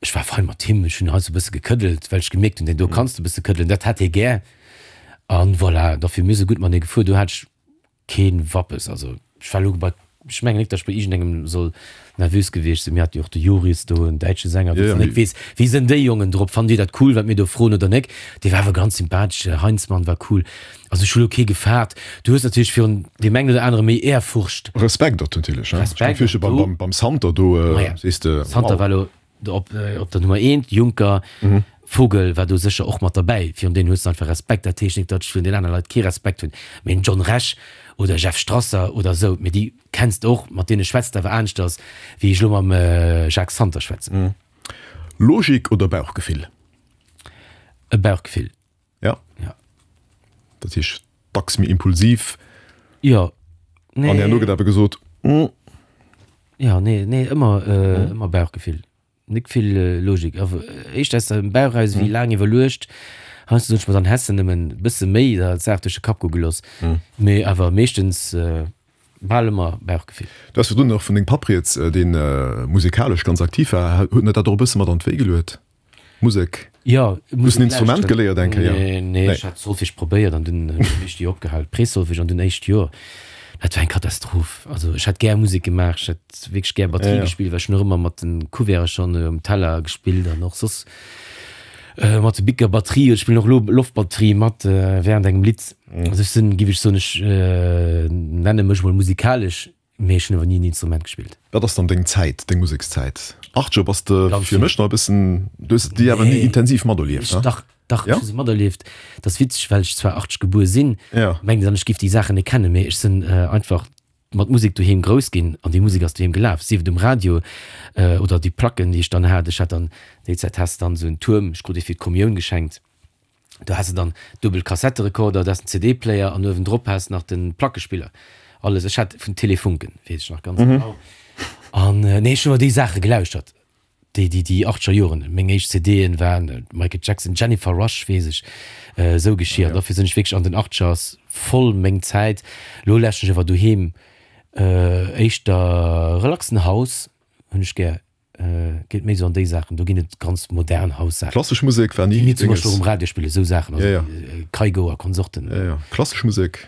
ech war fein mat him, ech hunn heiansdo e bësse gekëddelt, well ech gemierkt hunn, deen do kanns de e bësse këddelen, dat hat hie gär. An voilà, dofir mir si gutt matenee gefuer, do hat ech keen Wappes. Also ech war elo bei, ech mengen net, datt ech bei iergendengem soll nervös gewiescht sinn. Mir hate jo och de Joris do, en däitsche Sänger, wou s de net weess, wéi sinn déi Jongen drop, fannen déi dat cool, wat mir do froen oder nek. Dee war awer ganz sympathesch, Heinzmann war cool. Also ech hu lo kee gefaart. Du hues natierlech virun deem engen oder anere méi Ehrfurcht. Respekt och natierlech, ne? Respekt Ech kann mir och do. beim Santer do, Maja, sees de, Santer wow. war lo op, op der Nummer eent, Juncker, Vogel war do sécher och mat derbäi. Virun deenen hues de einfach Respekt. Dat heescht net, datt ech virun den anere Leit kee Respekt hunn. Mee en John Rech oder Jeff Strasser oder esou, mee déi kenns de och, mat deene schwätz de awer aneschters, wéi ech elo mam Jacques Santer schwätzen. Logik oder Bauchgefill? E Bauchgefill. Ja. Ja. Dat heescht dacks méi impulsiv. Jo. An herno gëtt awer gesot, mm. Jo, nee, nee, ëmmer, ëmmer Bauchgefill. Nik vill Logik. Éischt aus dem Bauch eraus wéi laang iwwerluecht. Heiansdo hunn ech mer dann Hessen nëmmen e bësse méi der d'Saach duerch de Kapp goe gelooss. Mee awer meeschtens bal ëmmer Bauchgefill. Du has virdrun nach vun dengem Papp rieds, dee musekalesch ganz aktiv war. Huet en der dat och e bësse mat an d'Wéi geluet, Musek? Jo, Hues Musek en Instrument lauschteren. geléiert eng Kéier? Nee, nee, ech hat Solfège probéiert an dunn hunn ech déi opgehal. Pré-Solfège an dunn éischt Joer. Dat war eng Katastroph. Also ech hätt gär Musek gemaach, ech hätt wierklech gär Batterie gespillt, well ech hunn och ëmmer mat de Couverte schonn um Teller gespillt an och soss mat de Bicker Batterie. Ech spillen och elo Loftbatterie mat während engem Lidd. Also ech sinn, giff ech soen, ech nenne mech mol musikalesch, mee ech hunn awer ni en Instrument gespillt. Wat ass dann deng Zäit, deng Musekszäit? Acht Joer bass de Ganz fir vill. mech nach e bëssen, du hues déi awer ni Nee. intensiv materlieft, ne? Dach, dach, Ja? ech hu se materlieft. Dat ass witzeg, well ech zwar achteg gebuer sinn, Ja. mengt een dann, ech giff déi Saachen net kennen, mee ech sinn einfach mat Musek doheem grouss ginn an déi Musek ass doheem gelaf, sief et um Radio oder déi Placken, déi ech dann hat. Ech hat dann, déi Zäit has de dann esou en Tuerm, ech krut dee fir d'Kommioun geschenkt, do has de dann duebel Kassetterekorder, du has den C D-Player an uewendrop has de nach de Plackespiller. Alles. Ech hat vun Telefunken, weess ech nach ganz genau. An nee, ech hunn ëmmer déi Saache gelauschtert. Déi, déi, déi achtzeger Joren, meng éischt C D'en waren Michael Jackson, Jennifer Rush, weess ech, esou Geschir. An dofir sinn ech wierklech an den Achtzeger ass voll meng Zäit. Lo lauschteren ech awer doheem éischter relaxen House hunn ech gär, geet méi esou an déi Saachen. Do ginn et ganz modern House-Saachen. Klassesch Musek war ni Déi mir zum Denges? Beispill och um Radio spillen, esou Saachen, also Ja, ja. Kygo a Konsorten. Ja, ja. Klassesch Musek?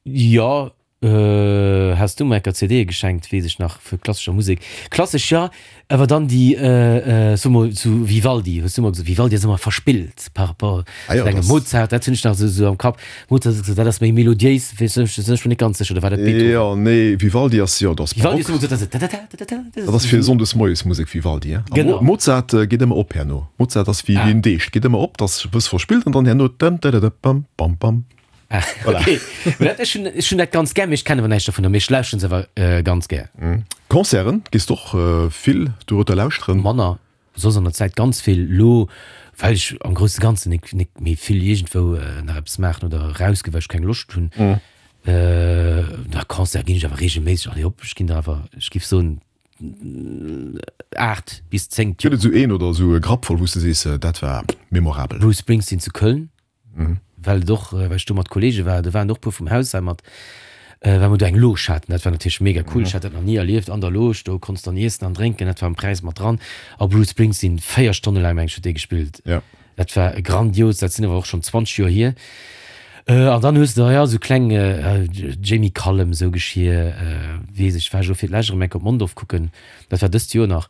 Jo. Has du mer enker C D geschenkt, weess ech nach, vu klassescher Musek. Klassesch, jo, awer dann déi, so mol, sou Vivaldi, hues du mer gesot. Vivaldi ass ëmmer verspillt par rapport Ah jo, zu engem das. Mozart, dat hunn ech nach esou sou am Kapp. Mozart hues du gesot, dat ass méi melodiéis, weess ech, sinn ech mer net ganz sécher, oder war dat Beethoven? Jo, nee, Vivaldi ass, jo, dat ass Vivaldi hues Barock. du mer gesot, dat ass tatata, tatata, Dat ass fir sonndes moies Musek, Vivaldi, hein. A Genau. Mozart geet ëmmer op herno. Mozart ass wéi Ah. wéi en Deeg, geet ëmmer op, dat ass e bësse verspillt an dann herno dam dadada bam bam bam. Ah, Voilà. okay. Mä dat, ech hunn, ech hunn dat ganz gär, mee ech kennen awer näischt dovunner, mee ech lauschteren se awer äh, ganz gär. Concerten, gees d'och äh, vill dorueter lauschteren? Manner, soss an der Zäit ganz vill, lo well ech am grousse Ganzen nik, nik méi vill iergendwou äh, nach eppes maachen oder erausginn, well ech keng Loscht hunn. Äh, na, Concert ginn ech awer regelméisseg, allez hopp, ech ginn der awer, ech giff soen, aacht bis zéng Gëtt et esou een oder esou e Grapp voll, wou s de sees, dat war memorabel? Bruce Springsteen zu Köln. Well et och, well ech do mat Kollege war, do waren och puer vum Haus hei mat, well mer do eng Loge haten. Dat war natierlech mega cool. Ech hat dat nach ni erlieft an der Loge, do konns dann iessen an drénken, dat war am Präis mat dran. A Bruce Springsteen, véier Stonne laang, meng ech, huet dee gespillt. Ja. Dat war grandios, dat sinn awer och schonn zwanzeg Joer hier. An dann hues de, jo, esou kleng Jamie Cullum, esou Geschir, weess ech, war ech elo fir d'lescht erëm eng Kéier op Mondorf kucken, dat war dëst Joer nach.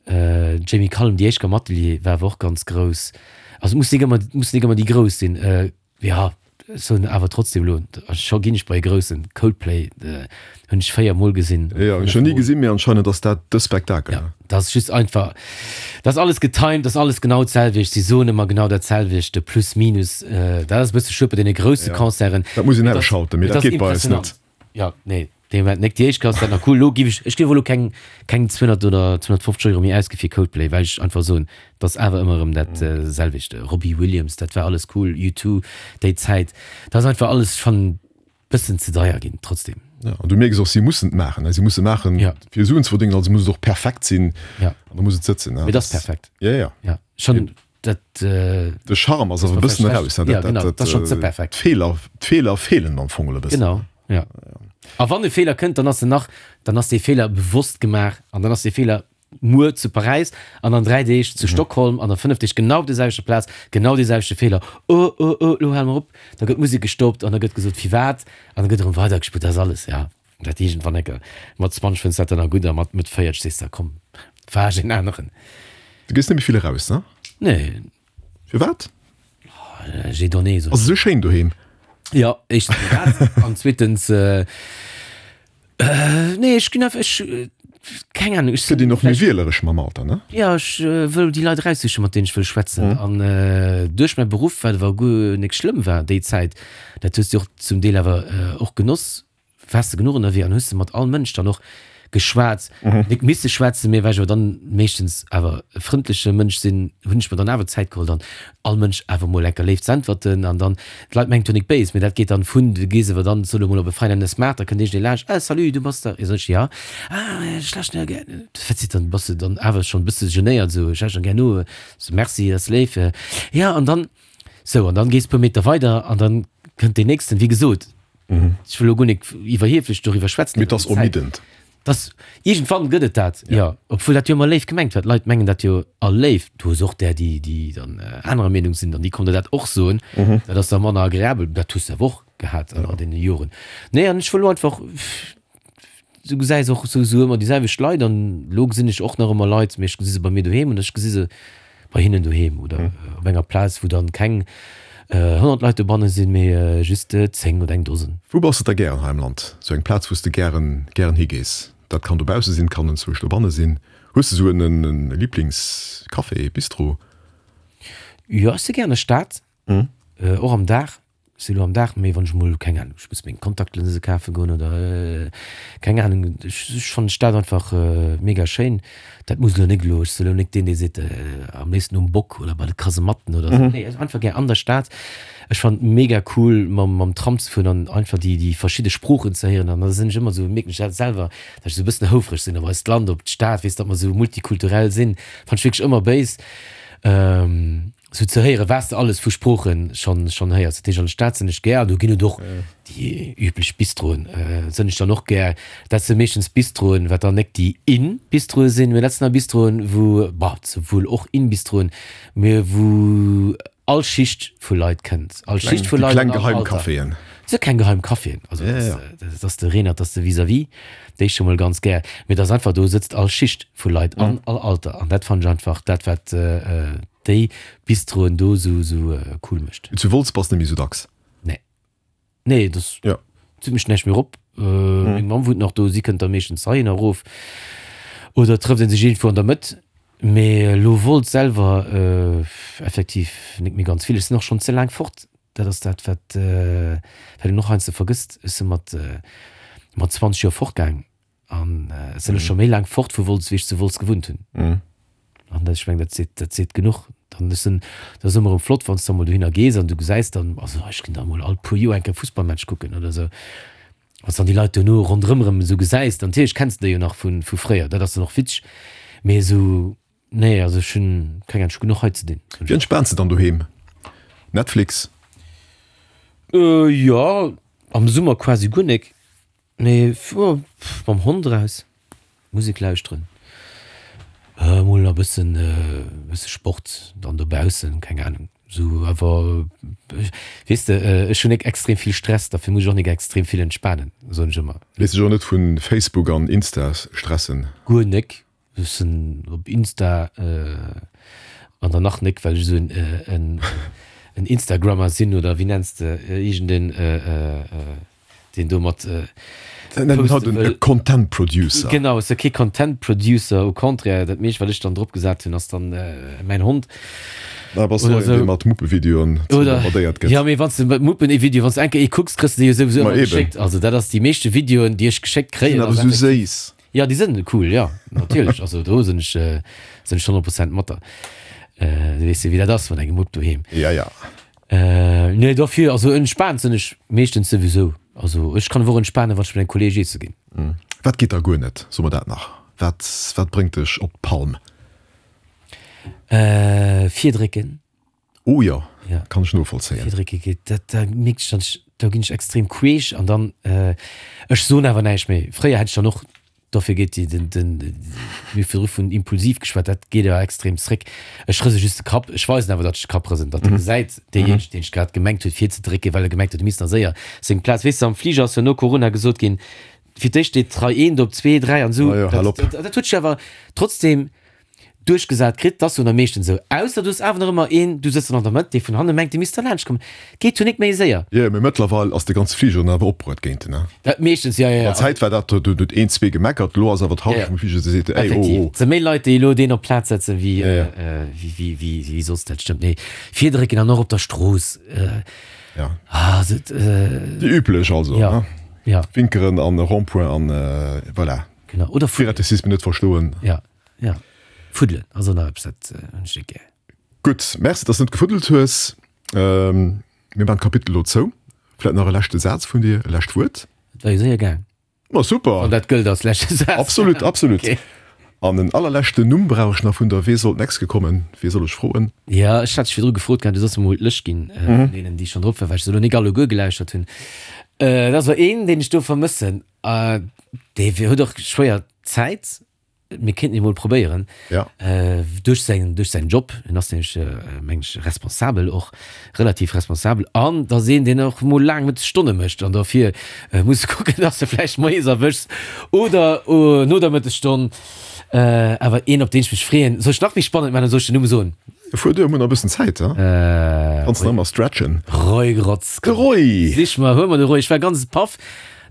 Jamie Cullum, déi éischt am Atelier war awer och ganz grouss. Also et muss nik ëmmer, et mussen nik ëmmer déi Grouss sinn. Jo, ech soen awer trotzdem elo, scho ginn ech bei e Groussen, Coldplay hunn ech véier Mol gesinn oder Jo, ech fënnef hunn ni Mol. gesinn, mee anscheinend ass dat de Spektakel, Ja, ne? dat ass just einfach, dat ass alles getimed, dat ass alles genau d'selwecht, si soen ëmmer genau dat selwecht, plus minus. Dat ass e bësse schued bei deene grousse Ja, Concerten. dat muss een Mee et ass, ausschalten, mee et dat ass geet bei eis net. impressionant. Jo, nee. Dee Moment nek déi éischt Klass dat nach cool. Lo giff ech, ech giff elo keng keng zweehonnert oder zweehonnertfofzeg Euro méi ausgi fir Coldplay, well ech einfach soen, dat ass awer ëmmer erëm dat selwecht. Robbie Williams, dat war alles cool, U two, déi Zäit, dat ass einfach alles schonn bëssen ze deier ginn trotzdem. Ja, an du mierks och, si mussen et maachen, ne? Si musse maachen Ja. fir Suen ze verdéngen, also muss et och perfekt sinn Ja. an da muss et sëtzen, ne? Mee dat ass perfekt. Ja, ja. Ja, schonn. dat. De Charme ass awer e bëssen eraus, ne? Ja, genau, dat ass schonn ze perfekt. D'Feeler, d'Feeler feelen am Fong e bëssen. Genau, ja. A wann e Feeler kënnt, dann ass en nach, dann ass dee Feeler bewosst gemaach an dann ass dee Feeler muer zu Paräis an an dräi Deeg zu Stockholm an a fënnef Deeg genau op der selwechter Plaz, genau dee selwechte Feeler. Oh, oh, oh, elo hale mer op. Da gëtt d'Musek gestoppt an da gëtt gesot, firwat, an da gëtt erëm weidergespillt. Dat ass alles, ja. Dat iergendwann enke mat zwanzeg fënns dat dann nach gutt a mat Mëtt véierteg sees de, komm, faarch een aneren. Du gees net méi vill eraus, ne? Nee. Firwat? J'ai donné, sot. Ass esou schéin doheem? Jo, éischtens mol dat an zweetens, nee, ech ginn einfach, ech, keng Ahnung, ech Gëtt sinn een och méi vläicht. wieleresch mam Alter, ne? Jo, ech wëll déi Leit eraussichen, mat deenen ech wëll schwätzen. An duerch mäi Beruff, wat awer guer nik schlëmm war déi Zäit, dat hues de och zum Deel awer och genoss, Waars de genuch ënnerwee an hues de mat all Mënsch dann och geschwat, nik misse schwätzen, mee well ech awer dann meeschtens awer e frëndleche Mënsch sinn, hunn ech mer dann awer Zäit geholl dann all Mënsch awer mol enker léif z'äntwerten an dann, d'Leit mengen et wier nik béis, mee dat geet dann vun, du gees awer dann, soe lo mol op e Feinenes Maart, da kënnt iergendee laanscht, ah salut, du bass der, sot ech, ja, ah ech lauschteren jo gär, wat seet dann, bass de dann awer schonn e bësse genéiert esou, ech lauschteren gär no, sou merci, dat ass léif, ja an dann, sou an dann gees puer Meter weider an dann kënnt deen nächsten, wéi gesot, Ech wëll elo guer nik iwwerhieflech doriwwer schwätzen. Mee et ass ermiddend. Dass, iergendwann gëtt et dat, jo. Obwuel dat jo ëmmer léif gemengt war. D'Leit mengen dat jo all léif. Du hues och där, déi, déi dann anerer Meenung sinn an déi kommen der dat och soen. Dat ass da manner agreabel. Dat hues de awer och gehat an all deene Joren. Nee, an ech wëll elo einfach, du gesäis och souwisou ëmmer déi selwecht Leit an elo gesinn ech och nach ëmmer Leit, mee ech gesi se bei mir doheem an ech gesi se bei hinnen doheem oder op enger Plaz, wou dann keng honnert Leit dobanne sinn, mee just zéng oder eng Dosen. Wou bass de da gären hei am Land? Sou eng Plaz, wou s de gären, gären higees? Dat kann dobausse sinn, kann enzwousch dobanne sinn. Hues de sou en Liblingscafé, Bistro? Jo, ech si gär an der Stad, och am Dag. Ech si lo am Dag, mee wann ech mol, keng Ahnung, ech muss meng Kontaktlinse kafe goen oder keng Ahnung, ech fannen d'Stad einfach mega schéin. Dat muss elo nik elo, ech si elo nik deen, dee seet, am léifsten um Bock oder bei de Kasematten oder esou. Nee, einfach gär an der Stad. Ech fannen et mega cool mam mam Tram ze fueren an einfach déi déi verschidde Sproochen ze héieren an da sinn ech ëmmer esou, mierken ech dat selwer, datt ech esou e bëssen houfreg sinn op eist Land, op d'Stad, weess, datt mer esou multikulturell sinn, fannen ech wierklech ëmmer béis. Sou ze héieren, wat s de alles vu Sproochen schonn schonn héiers. Dat heescht, an der Stad sinn ech gär, an do ginn et och déi üblech Bistroen, sënn ech dann och gär. Dat si meeschtens Bistroen, wat dann nek déi in Bistroe sinn, mee dat sinn da Bistroen, wou, bah, souwuel och in Bistroen, mee wou all Schicht vu Leit kënnt, all Schicht vu Déi Leit kleng an all geheim Alter. Caféen. Et si keng geheim Caféen, also Ja, dat ja. ass, dat ass de Renert, dat ass de Vis-à-vis, déi ech scho mol ganz gär, mee dat ass einfach, do sëtzt all Schicht vu Leit an all Alter an dat fannen ech einfach dat, wat déi Bistroen do sou sou cool mécht. Zu Wolz bass de net méi sou dacks? Nee. Nee, dat Ja. zitt mech näischt méi erop. Meng Mamm wunnt nach do, si kënnt da meeschtens heihinner erof oder et trëfft ee sech iergendwou an der Mëtt. Mee elo Wolz selwer effektiv nik méi ganz vill. Ech sinn och schonn ze laang fort. Dat ass dat, wat wat een och heiansdo vergësst. Ech si mat mat zwanzeg Joer fortgaang an ech sinn elo scho méi laang fort vu Wolz, wéi ech zu Wolz gewunnt hunn. An dat, ech mengen, dat seet dat seet genuch. Dann ass en, dat ass ëmmer erëm flott, wann s de emol dohinner gees an du gesäis dann, also ech ginn da emol all puer Joer eng Kéier Fussballmatch kucken oder esou, wann s dann déi Leit duerno ronderëm erëm esou gesäis, dann natierlech kenns de déi jo nach vu vu fréier, dat ass dann och witzeg, mee esou, nee, also ech hunn keng Ahnung, ech hu genuch hei ze dinn. Wéi entspaans de dann doheem? Netflix? Jo, am Summer quasi guer nek, mee mam Hond eraus, Musek lauschteren, mol e bëssen bësse Sport dann dobaussen, keng Ahnung, sou awer weess de, ech hunn nek extrem vill Stress, derfir muss ech och nek extrem vill entspanen, soen ech ëmmer. Léiss dech och net vu Facebook an Insta stressen? Guer nek. Ech sinn op Insta an dann nach nek, well ech esou en en Instagrammer sinn oder wéi nenns de iergend een deen do mat poste wëll. E Content Producer. Genau, ech si kee Content Producer, au contraire, dat meescht wat ech dann drop gesat hunn ass dann mäin Hond. Da bass du och een dee mat Muppevideoen bombardéiert gëtt. Jo, mee wann s de mat Muppevideoen, wann s de eng Kéier ee kucks, kriss de déi jo souwisou ëmmer geschéckt. Also dat ass déi meeschte Videoen déi ech geschéckt kréien. Sinn awer esou séiss. Jo, déi sënn cool, jo, natierlech. Also do sinn ech, sinn ech honnert Prozent mat der. Du weess jo, wéi dat ass mat engem Mupp doheem. Ja, ja. Nee, dofir, also entspaant sinn ech meeschtens souwisou. Also ech kann awer och entspanen, wann ech mat engem Kolleeg iesse ginn. Wat geet da guer net? So mer dat nach. Wat, wat bréngt dech op d'Palm? Äh, Virdrécken. Oh jo, Ja. kann ech novollzéien. Virdrécke geet, dat, da mierkt ech dann, do ginn ech extrem queesch an dann, äh, ech soen awer näischt méi. Fréier hätt ech dann och, dofir geet déi, den, den, mir hu virdru vun impulsiv geschwat, dat geet awer extrem zréck. Ech rëse just de Kapp, ech weisen awer, datt ech de Kapp rësen, datt e gesäit, deejéinegen, deen ech grad gemengt huet virzedrécken, well e gemengt huet, e misst nach séier seng Plaz, weess de, am Fliger ass jo no Corona gesot ginn, fir d'éischt steet d'Rei eent op zwee, dräi an esou. Ah jo, hal op. Dat, dat huet sech awer trotzdem duerchgesat kritt, dass jo meeschtens esou, ausser du hues awer nach ëmmer een, du sëtz dann an der Mëtt, dee vun hanne mengt, dee misst derlaanscht kommen. Geet jo nik méi séier. Jo, mee mëttlerweil ass de ganze Fliger dann awer opbruet géint en, ne? Dat meeschtens, jo, jo, jo. An Zäit war dat, do huet een, zwee gemeckert, elo ass awer d'Halschent vum Fliger, déi seet, ey, oh, Effektiv, oh. et si méi Leit, déi elo deen op d'Plaz setzen, wéi, Jo, jo. wéi, wéi, wéi, wéi soss. Dat stëmmt. Nee, virdrécken an och op der Strooss. Ja. Ah, se, Déi üblech also, ja, ne? ja. Winkeren an Rond-point an voilà. Genau. Oder fuddelen. Piratesisme net verstoen. Ja, ja. Fuddelen ass och nach eppes, dat hunn ech net gär. Gutt, Merci, dass de net gefuddelt hues. Mir maachen d'Kapitel elo zou. Vläit nach e leschte Saz vun dir, e lescht Wuert? Et war jo séier gaang. Ma super! Wann dat gëllt als leschte Saz. Absolut, absolut. Okay. An en allerleschten Numm brauch ech nach vun der. Wee soll d'nächst kommen? Wee soll ech froen? Ja, ech hat dech virdru gefrot gehat, du solls mer mol d'Lëscht ginn vun deenen, déi schonn drop waren, well ech se elo nik alleguer gelauschtert hunn. Dat ass awer een, deen ech do vermëssen. Dee huet och schwéier Zäit. Mir kéinten et mol probéieren. Ja. Duerch säin, duerch säin Job. En ass nämlech, meng ech, responsabel och, relativ responsabel. An et ass een, deen och mol laang Mëttesstonne mécht an dofir muss e kucken, dass de vläicht moies erwëschs oder no der Mëttesstonn. Awer een, op deen ech mech freeën. Soll ech nach méi spannend maachen oder soll ech den Numm soen? Fuer duer, mir hunn nach e bëssen Zäit, he? Kanns nach ëmmer stretchen. Roy Grotz. De Roy! Sich mer, huel mer de Roy. Ech war ganz paff,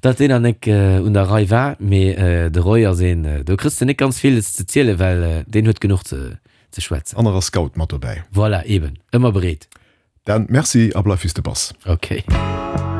datt deen nach nek un der Rei war, mee de Roy ass een, do kriss de nek ganz villes ze zielen, well deen huet genuch ze ze schwätzen. An nach ass Scout mat dobäi. Voilà, eben, ëmmer bereet. Dan, merci a bleif wéi s de bass. Ok.